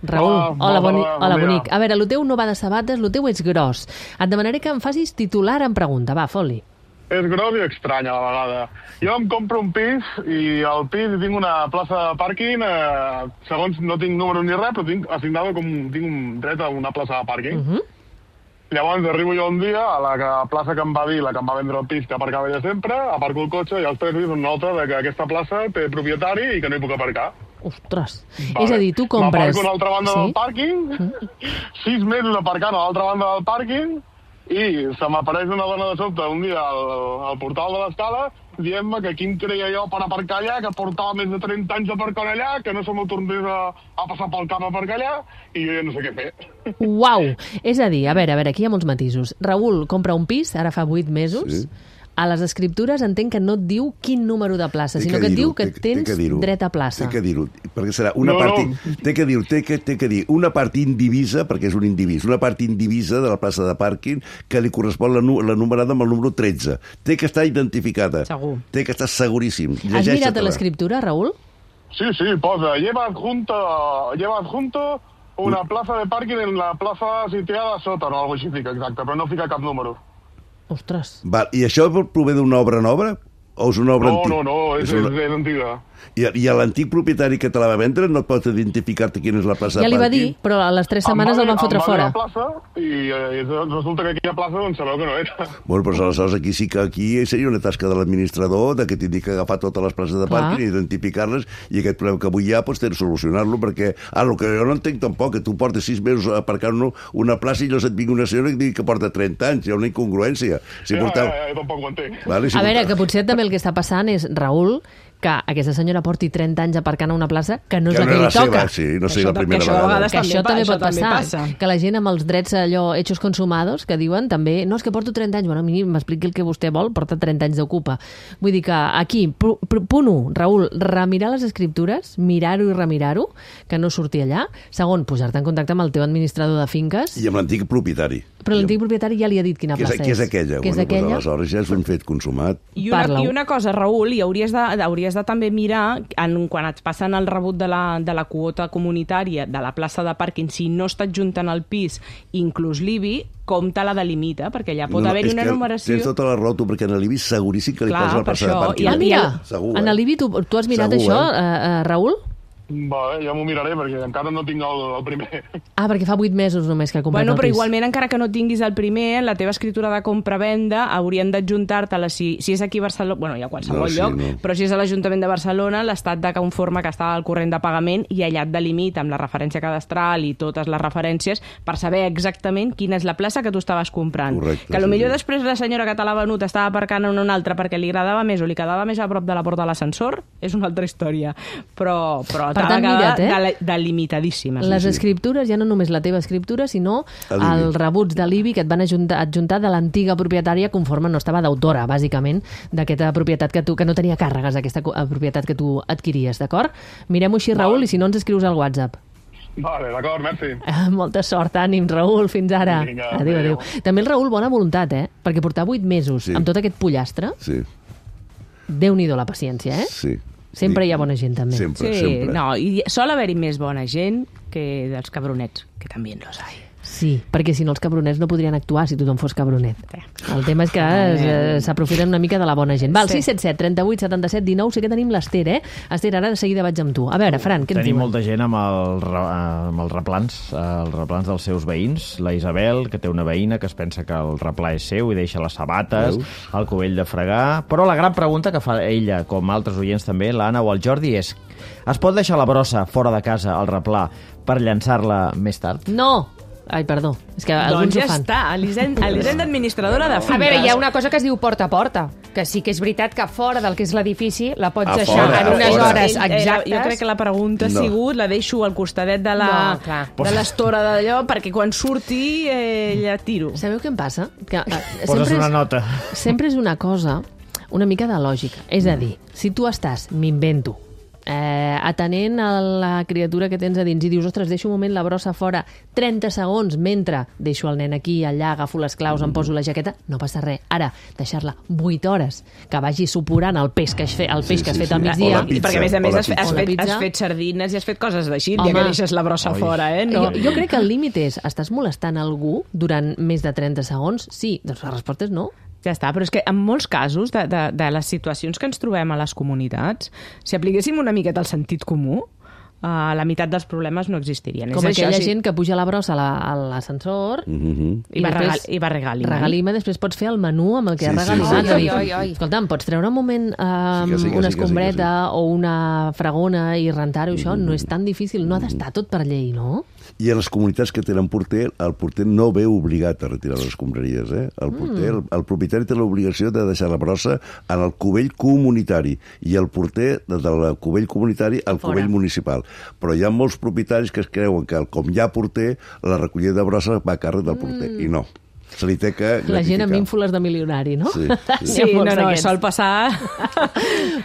Raül, hola, hola, bonic. A veure, el teu no va de sabates, el teu és gros. Et demanaré que em facis titular en pregunta. Va, fot-li. És gros i estrany a la vegada. Jo em compro un pis i al pis tinc una plaça de pàrquing, segons no tinc número ni res, però tinc assignada tinc un dret a una plaça de pàrquing. Llavors arribo jo un dia a la plaça que em va dir, la que em va vendre el pis, que aparcava ella sempre, aparco el cotxe i als 3 dies una nota de que aquesta plaça té propietari i que no hi puc aparcar. Ostres. És a dir, tu compres... M'aparco a l'altra banda del pàrquing, 6 mesos aparcant a l'altra banda del pàrquing, i se m'apareix una dona de sobte un dia al portal de l'escala dient-me que quin creia jo per aparcar allà, que portava més de 30 anys aparcant allà, que no se m'ho tornés a passar pel cap a aparcar allà, i jo ja no sé què fer. Uau! És a dir, a veure, aquí hi ha molts matisos. Raül compra un pis, ara fa 8 mesos, a les escriptures entenc que no et diu quin número de plaça, sinó que et diu que tens dret a plaça. Té que dir-ho, perquè serà una part... Té que dir una part indivisa, perquè és un indivís, una part indivisa de la plaça de pàrquing que li correspon la numerada amb el número 13. Té que estar identificada. Segur. Té que estar seguríssim. Has mirat a l'escriptura, Raül? Sí, posa, lleva adjunto una plaza de parking en la plaza situada sota, no, algo així fica, exacte, però no fica cap número. Ostres. I això prové d'una obra nova? O és una obra antiga? No, és antiga. I l'antic propietari que te la va vendre no pot identificar-te quina és la plaça de Ja li va pàrquing? dir, però a les 3 setmanes el van fotre fora. Em va dir la plaça i resulta que aquella plaça doncs sabeu que no era. Bueno, però aleshores aquí sí que aquí seria una tasca de l'administrador de que t'indiqui que agafar totes les places de pàrquing i identificar-les, i aquest problema que avui hi ha doncs té de solucionar-lo, perquè el que jo no entenc tampoc, que tu portes 6 mesos aparcant una plaça i llavors et vingui una senyora que digui que porta 30 anys, hi ha una incongruència. Jo tampoc ho entenc. Vale, a veure, que potser també el que està passant és, Raül, que aquesta senyora porti 30 anys aparcant a una plaça que no és la que li toca. Sí, no sé la primera vegada. Que això també pot passar. Que la gent amb els drets allò hechos consumados, que diuen també, no, és que porto 30 anys, bueno, a mi m'expliqui el que vostè vol, porta 30 anys d'ocupa. Vull dir que aquí, punt 1, Raül, remirar les escriptures, mirar-ho i remirar-ho, que no surti allà. Segon, posar-te en contacte amb el teu administrador de finques. I amb l'antic propietari. Però l'antic propietari ja li ha dit quina plaça és. Que és aquella. Que és aquella. Aleshores ja és un fet consumat. I una cosa, Raül, i hauries de també mirar, quan et passen el rebut de la quota comunitària de la plaça de pàrquing, si no està adjuntant al pis, inclús l'IBI, com te la delimita, perquè allà pot haver-hi una numeració... Tens tota la raó, tu, perquè en l'IBI seguríssim que li posa la plaça de pàrquing. Ah, mira, en l'IBI tu has mirat això, Raül? Vale, ja m'ho miraré, perquè encara no tinc el primer. Ah, perquè fa 8 mesos només que ha comprat el pis. Però igualment, encara que no tinguis el primer, la teva escritura de compra-venda haurien d'adjuntar-te-la, si és aquí a Barcelona, bueno, hi ha qualsevol lloc, però si és a l'Ajuntament de Barcelona, l'estat de conforme que està al corrent de pagament, i allà et delimita amb la referència cadastral i totes les referències per saber exactament quina és la plaça que tu estaves comprant. Correcte, que potser després la senyora que te l'ha venut estava aparcant en una altra perquè li agradava més o li quedava més a prop de la porta de l'ascensor, és una altra història. Però per tant, mira't, delimitadíssimes. Les escriptures, ja no només la teva escriptura, sinó els rebuts de l'IBI que et van adjuntar de l'antiga propietària conforme no estava d'autora, bàsicament, d'aquesta propietat que no tenia càrregues, aquesta propietat que tu adquiries, d'acord? Mirem-ho així, Raül, i si no ens escrius al WhatsApp. Vale, d'acord, merci. Molta sort, ànim, Raül, fins ara. Vinga, adéu. També el Raül, bona voluntat, perquè portar 8 mesos amb tot aquest pollastre, Déu-n'hi-do la paciència, Sí. Sempre hi ha bona gent, també. Sempre. No, i sol haver-hi més bona gent que dels cabronets, que també los hay. Sí, perquè si no els cabronets no podrien actuar si tothom fos cabronet. El tema és que s'aprofiten una mica de la bona gent. Val, 677 38 77 19, sé que tenim l'Ester, Esther, ara de seguida vaig amb tu. A veure, Fran, què ens diuen? Tenim molta gent amb els replans dels seus veïns. La Isabel, que té una veïna que es pensa que el replà és seu i deixa les sabates, el cubell de fregar. Però la gran pregunta que fa ella, com altres oients també, l'Anna o el Jordi, és: es pot deixar la brossa fora de casa, al replà, per llançar-la més tard? No! Ai, perdó, és que alguns ho fan. Doncs ja està, Elisenda, administradora de finques. A veure, hi ha una cosa que es diu porta a porta, que sí que és veritat que fora del que és l'edifici la pots deixar en unes hores exactes. Jo crec que la pregunta ha sigut, la deixo al costadet de l'estora d'allò, perquè quan surti ja tiro. Sabeu què em passa? Poses una nota. Sempre és una cosa, una mica de lògica. És a dir, si tu estàs, m'invento, atenent a la criatura que tens a dins i dius, ostres, deixo un moment la brossa fora 30 segons mentre deixo el nen aquí, allà, agafo les claus, em poso la jaqueta, no passa res. Ara, deixar-la 8 hores, que vagi suporant el peix que has fet al migdia. Perquè a més has fet sardines i has fet coses d'així, ja que deixes la brossa fora, No. Jo crec que el límit és, estàs molestant algú durant més de 30 segons? Sí, doncs la resposta és no. Ja està, però és que en molts casos de les situacions que ens trobem a les comunitats, si apliquéssim una miqueta el sentit comú, la meitat dels problemes no existirien. Com aquella gent que puja la brossa a l'ascensor i va regalimant. Regalima, després pots fer el menú amb el que has regalimat. Escolta'm, pots treure un moment una escombreta o una fregona i rentar-ho, això no és tan difícil, no ha d'estar tot per llei, no? I a les comunitats que tenen porter, el porter no ve obligat a retirar les escombraries. El propietari té l'obligació de deixar la brossa en el cubell comunitari i el porter del cubell comunitari al cubell municipal. Però hi ha molts propietaris que es creuen que, com hi ha porter, la recollida de brossa va a càrrec del porter. I no. Se li té que gratificar. La gent amb ínfoles de milionari, no? Sí, sol passar.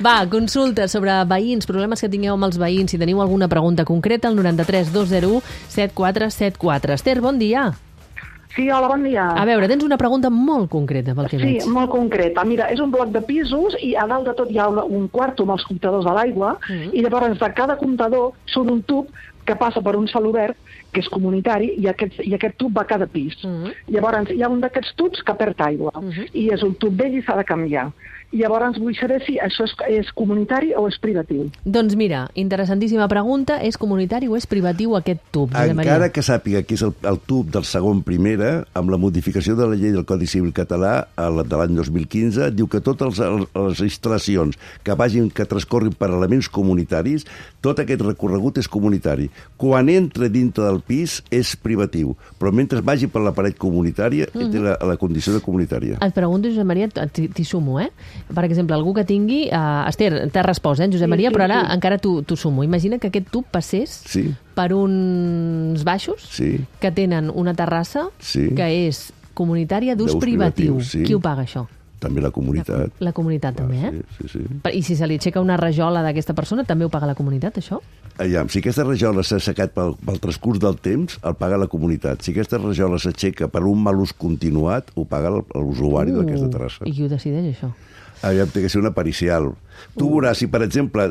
Va, consulta sobre veïns, problemes que tingueu amb els veïns, si teniu alguna pregunta concreta, al 93 201 7474. Esther, bon dia. Sí, hola, bon dia. A veure, tens una pregunta molt concreta, pel que veig. Sí, molt concreta. Mira, és un bloc de pisos i a dalt de tot hi ha un quarto amb els comptadors de l'aigua i llavors de cada comptador surt un tub que passa per un celobert que és comunitari i aquest tub va a cada pis. Llavors hi ha un d'aquests tubs que perd aigua i és un tub vell i s'ha de canviar. i llavors vull saber si això és comunitari o és privatiu. Doncs mira, interessantíssima pregunta. És comunitari o és privatiu aquest tub? Encara que sàpiga que és el tub del segon primera, amb la modificació de la llei del Codi Civil català de l'any 2015, diu que totes les instal·lacions que transcorrin per elements comunitaris, tot aquest recorregut és comunitari. Quan entra dintre del pis és privatiu, però mentre vagi per la paret comunitària té la condició de comunitària. Et pregunto, Josep Maria, t'hi sumo, Per exemple, algú que tingui... Esther, t'has respost, Josep Maria, però ara encara t'ho sumo. Imagina que aquest tub passés per uns baixos que tenen una terrassa que és comunitària d'ús privatiu. Qui ho paga, això? També la comunitat. La comunitat també, Sí. I si se li aixeca una rajola d'aquesta persona, també ho paga la comunitat, això? Si aquesta rajola s'ha assecat pel transcurs del temps, el paga la comunitat. Si aquesta rajola s'aixeca per un mal ús continuat, ho paga l'usuari d'aquesta terrassa. I qui ho decideix, això? Té que ser una pericial. Tu veuràs, si per exemple,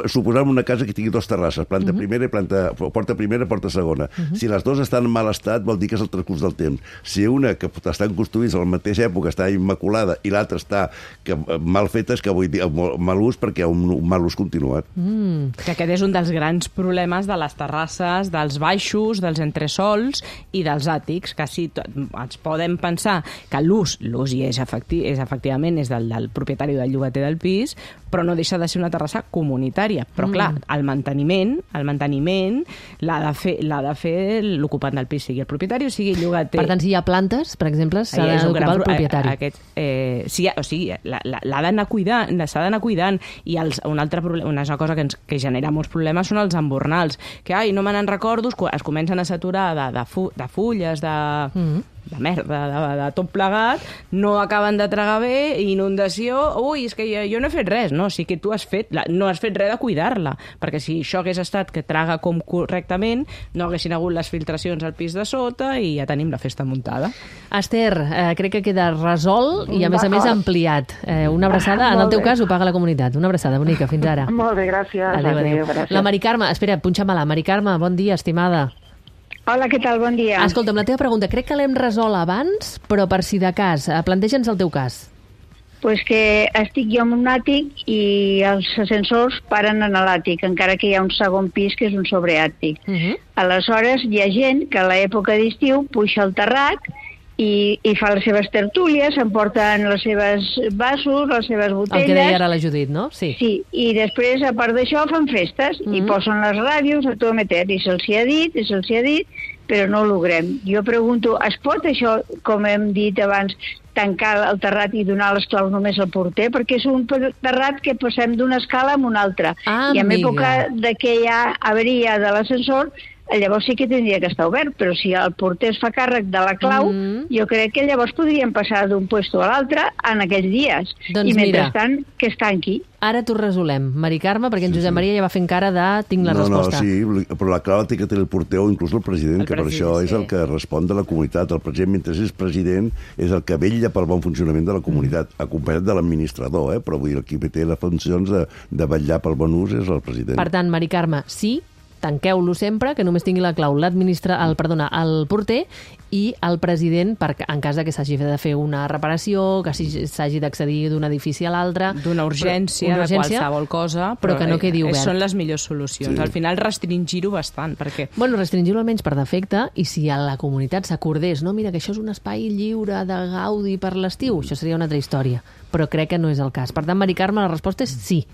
suposem una casa que tingui dues terrasses, porta primera i porta segona. Si les dues estan en mal estat, vol dir que és el transcurs del temps. Si una que estan construïts a la mateixa època està immaculada i l'altra està mal feta, és que vull dir mal ús perquè hi ha un mal ús continuat. Que aquest és un dels grans problemes de les terrasses, dels baixos, dels entresols i dels àtics, que sí, ens podem pensar que l'ús hi és efectivament és del propietari o del llogater del pis, però no deixa de ser una terrassa comunitària. Però, clar, el manteniment l'ha de fer l'ocupant del pis, sigui el propietari o sigui el llogater. Per tant, si hi ha plantes, per exemple, s'ha d'ocupar el propietari. L'ha d'anar cuidant, s'ha d'anar cuidant. I un altre problema, una cosa que genera molts problemes són els embornals, que, no me n'en recordo, es comencen a saturar de fulles, de merda, de tot plegat, no acaben de tragar bé, inundació, és que jo no he fet res, no? Sí que tu no has fet res de cuidar-la, perquè si això hagués estat que traga com correctament, no haguessin hagut les filtracions al pis de sota i ja tenim la festa muntada. Esther, crec que queda resolt i a més ampliat. Una abraçada, en el teu cas ho paga la comunitat. Una abraçada bonica, fins ara. Molt bé, gràcies. Adéu. La Mari Carme, espera, punxa-me-la. Mari Carme, bon dia, estimada. Hola, què tal? Bon dia. Escolta'm, la teva pregunta, crec que l'hem resolt abans, però per si de cas, planteja'ns el teu cas. Pues que estic jo en un àtic i els ascensors paren en l'àtic, encara que hi ha un segon pis que és un sobreàtic. Aleshores, hi ha gent que a l'època d'estiu puja al terrat i fa les seves tertúlies, s'emporten les seves vasos, les seves botelles... El que deia ara la Judit, no? Sí, i després, a part d'això, fan festes i posen les ràdios a tot meter, i se'ls ha dit, però no ho logrem. Jo pregunto, es pot això, com hem dit abans, tancar el terrat i donar les claus només al porter? Perquè és un terrat que passem d'una escala a una altra. I en època que hi ha avaria de l'ascensor, llavors sí que tindria que estar obert, però si el porter es fa càrrec de la clau, jo crec que llavors podríem passar d'un puesto a l'altre en aquells dies. Doncs i mentrestant, que es tanqui. Ara t'ho resolem, Mari Carme, perquè en Josep Maria ja va fent cara de tinc la resposta. Però la clau té que tenir el porter o inclús el president, que per això és el que respon de la comunitat. El president, mentre és president, és el que vetlla pel bon funcionament de la comunitat, acompanyat de l'administrador, però vull dir, el qui té les funcions de vetllar pel bon ús és el president. Per tant, Mari Carme, sí, tanqueu-lo sempre, que només tingui la clau el porter i el president, en cas que s'hagi de fer una reparació, que s'hagi d'accedir d'un edifici a l'altre... D'una urgència, de qualsevol cosa, però que no quedi obert. Són les millors solucions. Al final, restringir-ho bastant, perquè... Bueno, restringir-ho almenys per defecte, i si a la comunitat s'acordés, no, mira, que això és un espai lliure de gaudi per l'estiu, això seria una altra història, però crec que no és el cas. Per tant, Mari Carme, la resposta és sí.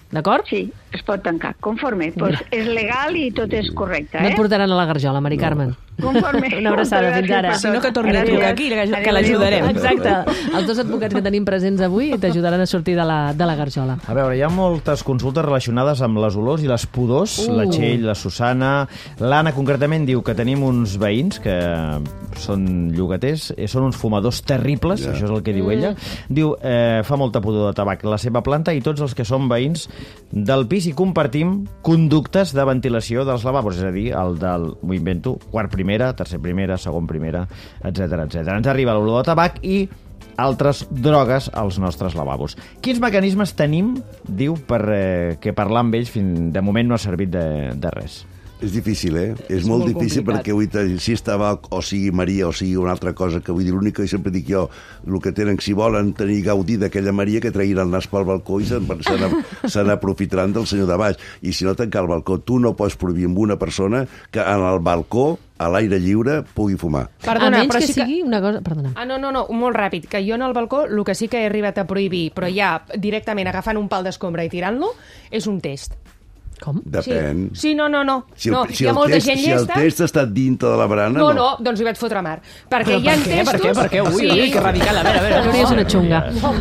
D'acord? Sí, es pot tancar, conforme. Pues és legal i tot és correcte, No et portaran a la garjola, Mari Carmen. Conforme. Una abraçada, fins ara. Si no, que torni a trucar aquí, que l'ajudarem. Exacte. Els dos advocats que tenim presents avui t'ajudaran a sortir de la garjola. A veure, hi ha moltes consultes relacionades amb les olors i les pudors. La Txell, la Susana... L'Anna, concretament, diu que tenim uns veïns que són llogaters, són uns fumadors terribles, això és el que diu ella. Diu, fa molta pudor de tabac la seva planta i tots els que som veïns del pis i compartim conductes de ventilació dels lavabos, és a dir, el del, m'ho invento, quart primera, tercer primera, segon primera, etc. Ens arriba l'olor de tabac i altres drogues als nostres lavabos. Quins mecanismes tenim, diu, perquè parlar amb ells de moment no ha servit de res? És difícil, És molt difícil complicat. perquè avui, si és tabac, o sigui Maria, o sigui una altra cosa, que vull dir, l'únic que sempre dic jo, el que tenen, si volen tenir gaudi d'aquella Maria, que treguin el nas pel balcó i se n'aprofitaran del senyor de baix. I si no, tancar el balcó. Tu no pots prohibir amb una persona que en el balcó, a l'aire lliure, pugui fumar. Perdona, a menys però que sí que... sigui una cosa... Perdona. No, molt ràpid, que jo en el balcó el que sí que he arribat a prohibir, però ja directament agafant un pal d'escombra i tirant-lo, és un test. Com? Depèn. Sí, no. Si Hi ha molta gent si el llesta... test està dintre de la barana... No, doncs hi vaig fotre mar. Perquè hi ha testos... Per què? Ui, que radical. A veure. Això és una xunga. No,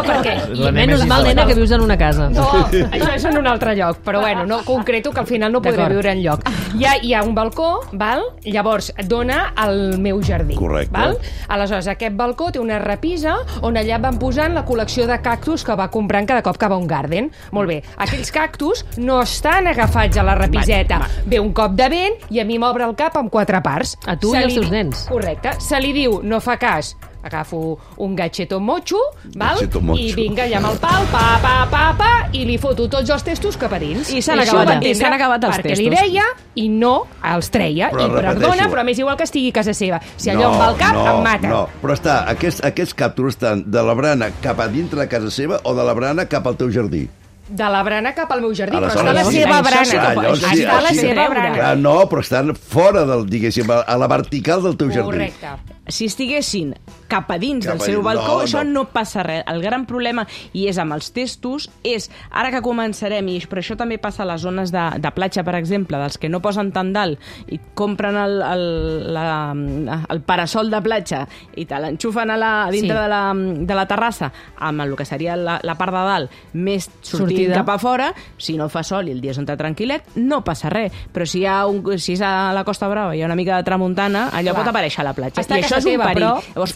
perquè... Menys mal, nena, que vius en una casa. No, això és en un altre lloc, però bueno, no concreto que al final no podré viure enlloc. Hi ha un balcó, val? Llavors dona al meu jardí. Correcte. Val? Aleshores, aquest balcó té una repisa on allà van posant la col·lecció de cactus que va comprant cada cop que va a un garden. Molt bé, aquells cactus no estan agafats a la repiseta. Ve un cop de vent i a mi m'obre el cap amb 4 parts. A tu i als teus nens. Correcte. Se li diu, no fa cas, agafo un gatxeto motxo, val? Gatxeto motxo. I vinga allà amb el pal, pa, i li foto tots els testos cap a dins. I s'han això ho va acabat, entendre els perquè testos. li deia i no els treia. Però I perdona, repeteixo. però a més igual que estigui a casa seva. Si allò em va al cap, em mata. No, però aquests càptors estan de la brana cap a dintre de casa seva o de la brana cap al teu jardí? De la brana cap al meu jardí, però Aleshores, està la sí. seva Això sí que brana. pot- sí, Està la sí. seva brana. Clar, no, però estan fora del, diguéssim, a la vertical del teu jardí. Correcte. Si estiguessin cap a dins Cap del a seu dins, balcó, no, això no. no passa res. El gran problema, i és amb els testos, és, ara que començarem, i però això també passa a les zones de platja, per exemple, dels que no posen tan dalt i compren el parasol de platja i te l'enxufen a dintre de la terrassa amb el que seria la part de dalt més sortint cap a fora, si no fa sol i el dia és un tranquil·let, no passa res. Però si és a la Costa Brava i hi ha una mica de tramuntana, allò pot aparèixer a la platja. Està a I això casa és un teva, perill. però- Llavors,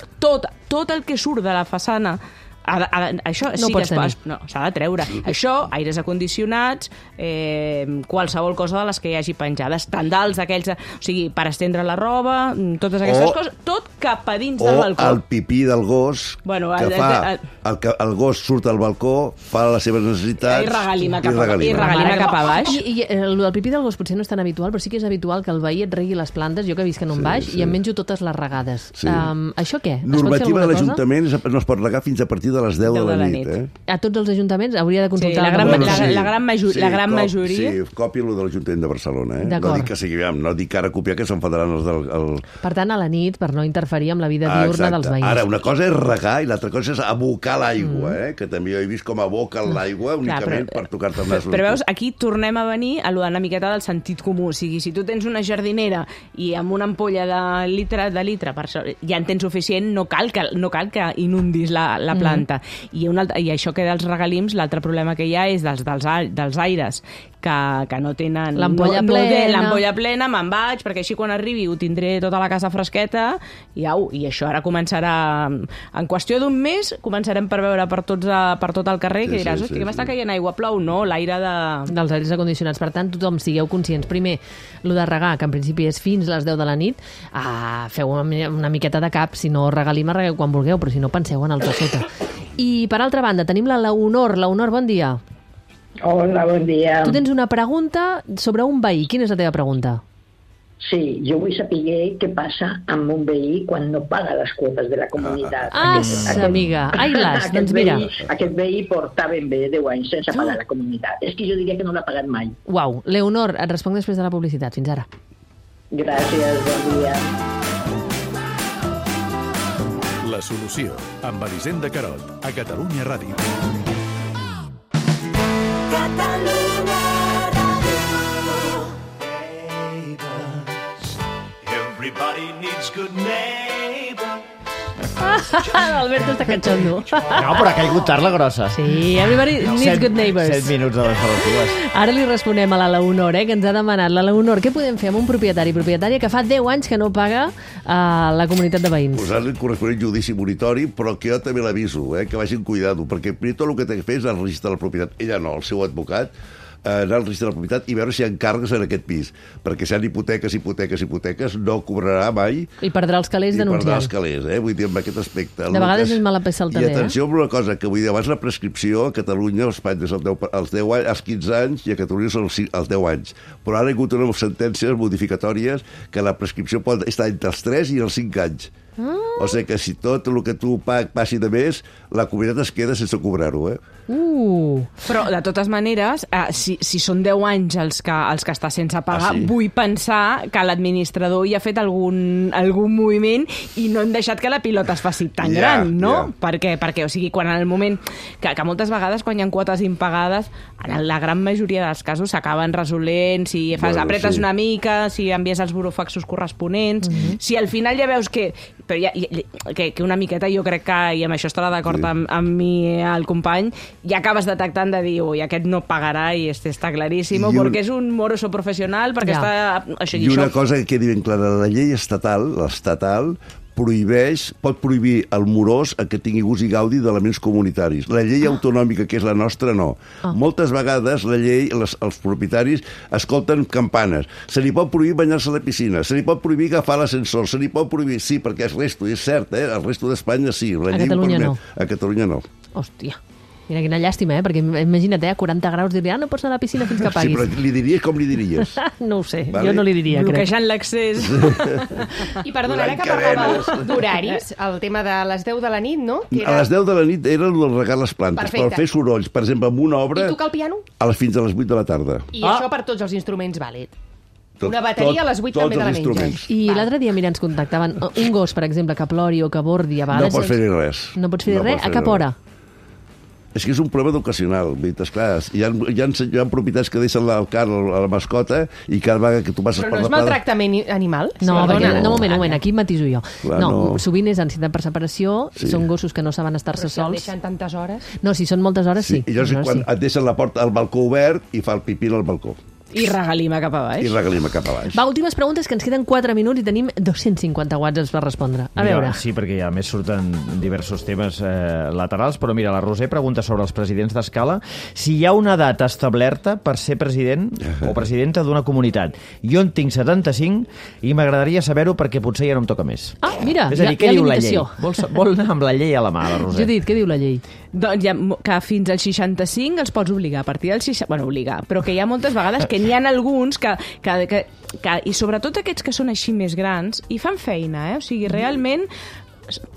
tot el que surt de la façana això No sí pots que tenir. s'ha de treure. Això, aires acondicionats, qualsevol cosa de les que hi hagi penjades, tendals d'aquells, o sigui, per estendre la roba, totes aquestes coses, tot cap a dins del balcó. O el pipí del gos, Bueno, que fa... El gos surt al balcó, fa les seves necessitats... I regalima cap a baix. I el pipí del gos potser no és tan habitual, però sí que és habitual que el veí et regui les plantes, jo que visc en un baix, i em menjo totes les regades. Sí. Això què? Es pot fer Normativa de alguna cosa? l'Ajuntament no es pot regar fins a partir de les 10 de la nit. A tots els ajuntaments hauria de consultar... Sí, la gran majoria... Sí, còpia-lo de l'Ajuntament de Barcelona. No D'acord. dic que sigui, no dic que ara copiar, que s'enfadaran els del... Per tant, a la nit, per no interferir amb la vida diurna dels veïns. Ara, una cosa és regar i l'altra cosa és abocar l'aigua, que també jo he vist com aboquen l'aigua únicament per tocar-te el nas. Però veus, aquí tornem a venir a lo d'una miqueta del sentit comú. O sigui, si tu tens una jardinera i amb una ampolla de litre, per això, ja en tens suficient, no cal que inundis la planta. I això que dels regalims, l'altre problema que hi ha és dels aires, que no tenen... L'ampolla plena. L'ampolla plena, me'n vaig, perquè així quan arribi ho tindré tota la casa fresqueta, i això ara començarà... En qüestió d'un mes començarem per veure per tot el carrer, que diràs, hosti, que m'està caient aigua, plou? No, l'aire dels aires acondicionats. Per tant, tothom sigueu conscients. Primer, lo de regar, que en principi és fins les 10 de la nit, feu una miqueta de cap, si no regalima, regueu quan vulgueu, però si no penseu en el que sota. I per altra banda, tenim la Leonor. Leonor, bon dia. Hola, bon dia. Tu tens una pregunta sobre un veí. Quina és la teva pregunta? Sí, jo vull saber què passa amb un veí quan no paga les quotes de la comunitat. Amiga. Ai, las, doncs mira. Aquest veí porta ben bé 10 anys sense pagar la comunitat. És que jo diria que no l'ha pagat mai. Uau. Leonor, et responc després de la publicitat. Fins ara. Gràcies, bon dia. La solució, amb Elisenda Carot, a Catalunya Ràdio. Catalunya Ràdio. Everybody needs good neighbors. Alberto està catxondo. No, però ha caigut tard la grossa. Sí, everybody needs good neighbors. 7 minuts de les dues. Ara li responem a la Leonor, que ens ha demanat. La Leonor, què podem fer amb un propietària que fa 10 anys que no paga a la comunitat de veïns? Posar-li corresponent judici monitori, però que jo també l'aviso, que vagin cuidado, perquè primer tot el que té que fer és el registre de la propietat. Ella no, el seu advocat, anar al registre de la propietat i veure si hi ha càrregues en aquest pis. Perquè si hi ha hipoteques, no cobrarà mai. I perdrà els calés denunciant. I perdrà els calés, Vull dir, amb aquest aspecte. De vegades és mala peça el també, I atenció amb una cosa, que vull dir, abans la prescripció a Catalunya, a Espanya, és als 15 anys i a Catalunya són als 10 anys. Però ara hi ha hagut unes sentències modificatòries que la prescripció pot estar entre els 3 i els 5 anys. O sigui que si tot el que tu passi de més, la comunitat es queda sense cobrar-ho, Però, de totes maneres, si són 10 anys els que està sense pagar, vull pensar que l'administrador hi ha fet algun moviment i no hem deixat que la pilota es faci tan gran, no? Perquè, o sigui, quan en el moment... Que moltes vegades, quan hi ha quotes impagades, en la gran majoria dels casos s'acaben resolent, si apretes una mica, si envies els burofaxos corresponents, si al final ja veus que una miqueta jo crec que, i amb això estarà d'acord amb mi el company, ja acabes detectant de dir, ui, aquest no pagarà i està claríssim, perquè és un moroso professional, perquè està... I una cosa que quedi ben clara, la llei estatal, l'estatal, pot prohibir el morós que tingui gust i gaudi d'elements comunitaris. La llei autonòmica, que és la nostra, no. Moltes vegades la llei, els propietaris escolten campanes. Se li pot prohibir banyar-se a la piscina, se li pot prohibir agafar l'ascensor, se li pot prohibir... Sí, perquè el resto, és cert, el resto d'Espanya sí. A Catalunya no. A Catalunya no. Hòstia. Mira, quina llàstima, perquè imagina't, a 40 graus diria, no pots anar a la piscina fins que paguis. Sí, però li diries com li diries? No ho sé, jo no li diria, crec. Bloquejant l'accés. I perdona, ara que parlàvem d'horaris, el tema de les 10 de la nit, no? A les 10 de la nit era el regar les plantes, per fer sorolls. Per exemple, amb una obra... I tocar el piano? Fins a les 8 de la tarda. I això per tots els instruments vàlid. Una bateria a les 8 també de la menja. I l'altre dia, mira, ens contactaven un gos, per exemple, que plori o que bordi a vegades... No pots fer-hi res. No pots fer-hi res? A cap hora? És que és un problema educacional. Esclar, hi ha propietats que deixen el can a la mascota i cada vegada que tu passes per la Però no és maltractament animal? No, un moment, aquí matiso jo. No, sovint és ansietat per separació, són gossos que no saben estar-se sols. Però si el deixen tantes hores... No, si són moltes hores, sí. I llavors quan et deixen la porta al balcó obert i fa el pipí al balcó. I regalima cap a baix. Va, últimes preguntes, que ens queden 4 minuts i tenim 250 whatsapps per respondre. A veure. Sí, perquè ja més surten diversos temes laterals, però mira, la Roser pregunta sobre els presidents d'escala si hi ha una edat establerta per ser president o presidenta d'una comunitat. Jo en tinc 75 i m'agradaria saber-ho perquè potser ja no em toca més. Ah, mira, és a dir, què diu la llei? Vol anar amb la llei a la mà, la Roser? Judit, què diu la llei? Doncs que fins als 65 els pots obligar. A partir dels 60... Bueno, obligar. Però que hi ha moltes vegades que n'hi ha alguns que i sobretot aquests que són així més grans, i fan feina, O sigui, realment,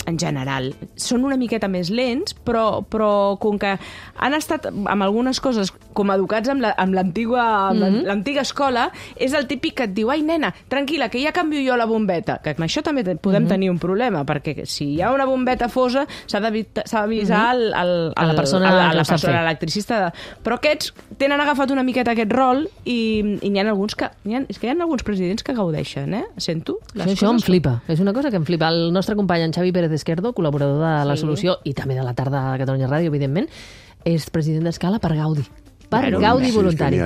en general, són una miqueta més lents, però com que han estat amb algunes coses com educats amb l'antiga escola, és el típic que et diu, ai, nena, tranquil·la, que ja canvio jo la bombeta. Que amb això també podem tenir un problema, perquè si hi ha una bombeta fosa, s'ha d'avisar a la persona l'electricista. Però aquests tenen agafat una miqueta aquest rol i n'hi ha alguns que... És que hi ha alguns presidents que gaudeixen, Sento? Això em flipa. És una cosa que em flipa. El nostre company, en Xavi Pérez Esquerdo, col·laborador de La Solució i també de la tarda de Catalunya Ràdio, evidentment, és president d'escala per Gaudi. Gaudi voluntari.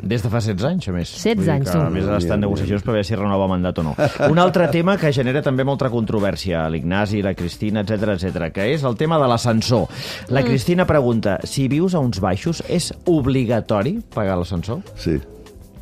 Des de fa 16 anys, a més. 16 anys, A més, està en negociacions per veure si renova mandat o no. Un altre tema que genera també molta controvèrsia, l'Ignasi, la Cristina, etc, que és el tema de l'ascensor. La Cristina pregunta, si vius a uns baixos, és obligatori pagar l'ascensor? Sí.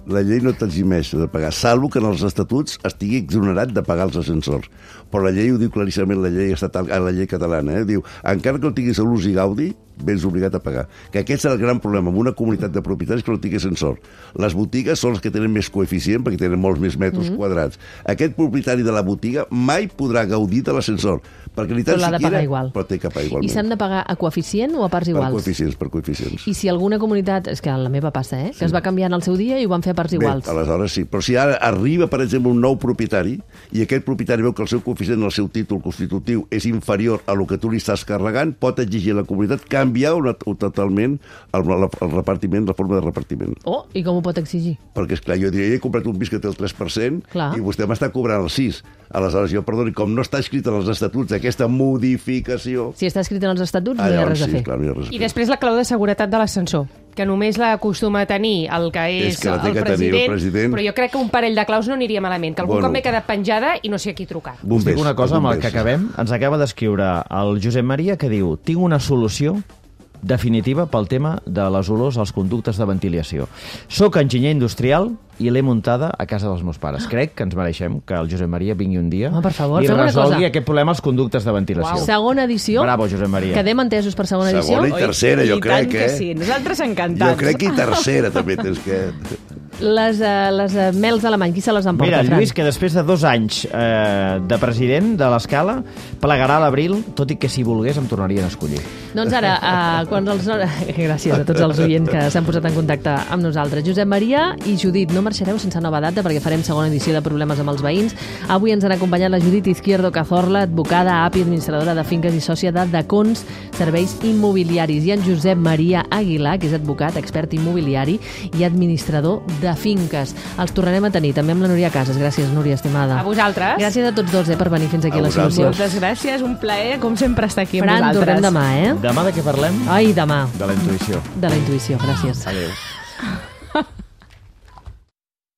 La llei no t'eximeix de pagar, salvo que en els estatuts estigui exonerat de pagar els ascensors. Però la llei ho diu claríssimament, la llei estatal, la llei catalana, Diu, encara que no tinguis a l'ús i gaudi, vens obligat a pagar. Que aquest és el gran problema en una comunitat de propietaris que no tingui ascensor. Les botigues són les que tenen més coeficient perquè tenen molts més metres quadrats. Aquest propietari de la botiga mai podrà gaudir de l'ascensor. Perquè ni tant però l'ha de pagar igual. Però té que pagar igualment. I s'han de pagar a coeficient o a parts iguals? Per coeficients. I si alguna comunitat, és que a la meva passa, que es va canviar en el seu dia i ho van fer a parts iguals. Aleshores sí. Però si ara arriba, per exemple, un nou propietari i aquest propietari veu que el seu coeficient en el seu títol constitutiu és inferior a lo que tu li estàs carregant, pot exigir a la comunitat canviar totalment el repartiment, la forma de repartiment. Oh, i com ho pot exigir? Perquè, esclar, jo diria, he comprat un pis que té el 3% i vostè m'està cobrant el 6%. Aleshores, jo, perdoni, com no està escrit en els estatuts aquesta modificació... Si està escrit en els estatuts, no hi ha res a fer. Clar, no hi ha res a fer. I després la clau de seguretat de l'ascensor, que només l'acostuma a tenir el que és el president, però jo crec que un parell de claus no aniria malament, que algun cop m'he quedat penjada i no sé a qui trucar. Us dic una cosa amb el que acabem. Ens acaba d'escriure el Josep Maria que diu, tinc una solució definitiva pel tema de les olors als conductes de ventilació. Soc enginyer industrial i l'he muntada a casa dels meus pares. Crec que ens mereixem que el Josep Maria vingui un dia per favor, i fem una resolgui cosa. aquest problema als conductes de ventilació. Segona edició. Bravo, Josep Maria. Quedem entesos per segona edició. Segona i tercera, jo crec, que sí. Nosaltres encantats. Jo crec que i tercera també tens que... Les mels alemany, qui se les emporta, Mira, Fran? Lluís, que després de 2 anys de president de l'Escala, plegarà a l'abril, tot i que si volgués em tornarien a escollir. Doncs ara, quan els... gràcies a tots els oients que s'han posat en contacte amb nosaltres. Josep Maria i Judit, no marxareu sense nova data perquè farem segona edició de Problemes amb els veïns. Avui ens han acompanyat la Judit Izquierdo Cazorla, advocada, API, administradora de finques i sòcia de Dacons Serveis Immobiliaris, i en Josep Maria Aguilar, que és advocat, expert immobiliari i administrador de finques. Els tornarem a tenir també amb la Núria Casas. Gràcies, Núria, estimada. A vosaltres. Gràcies a tots dos per venir fins aquí a la solució. Moltes gràcies, un plaer, com sempre, estar aquí amb Fran, vosaltres. tornem demà, eh? Demà de què parlem? Ai, demà. De la intuïció. De la intuïció, gràcies. Adéu.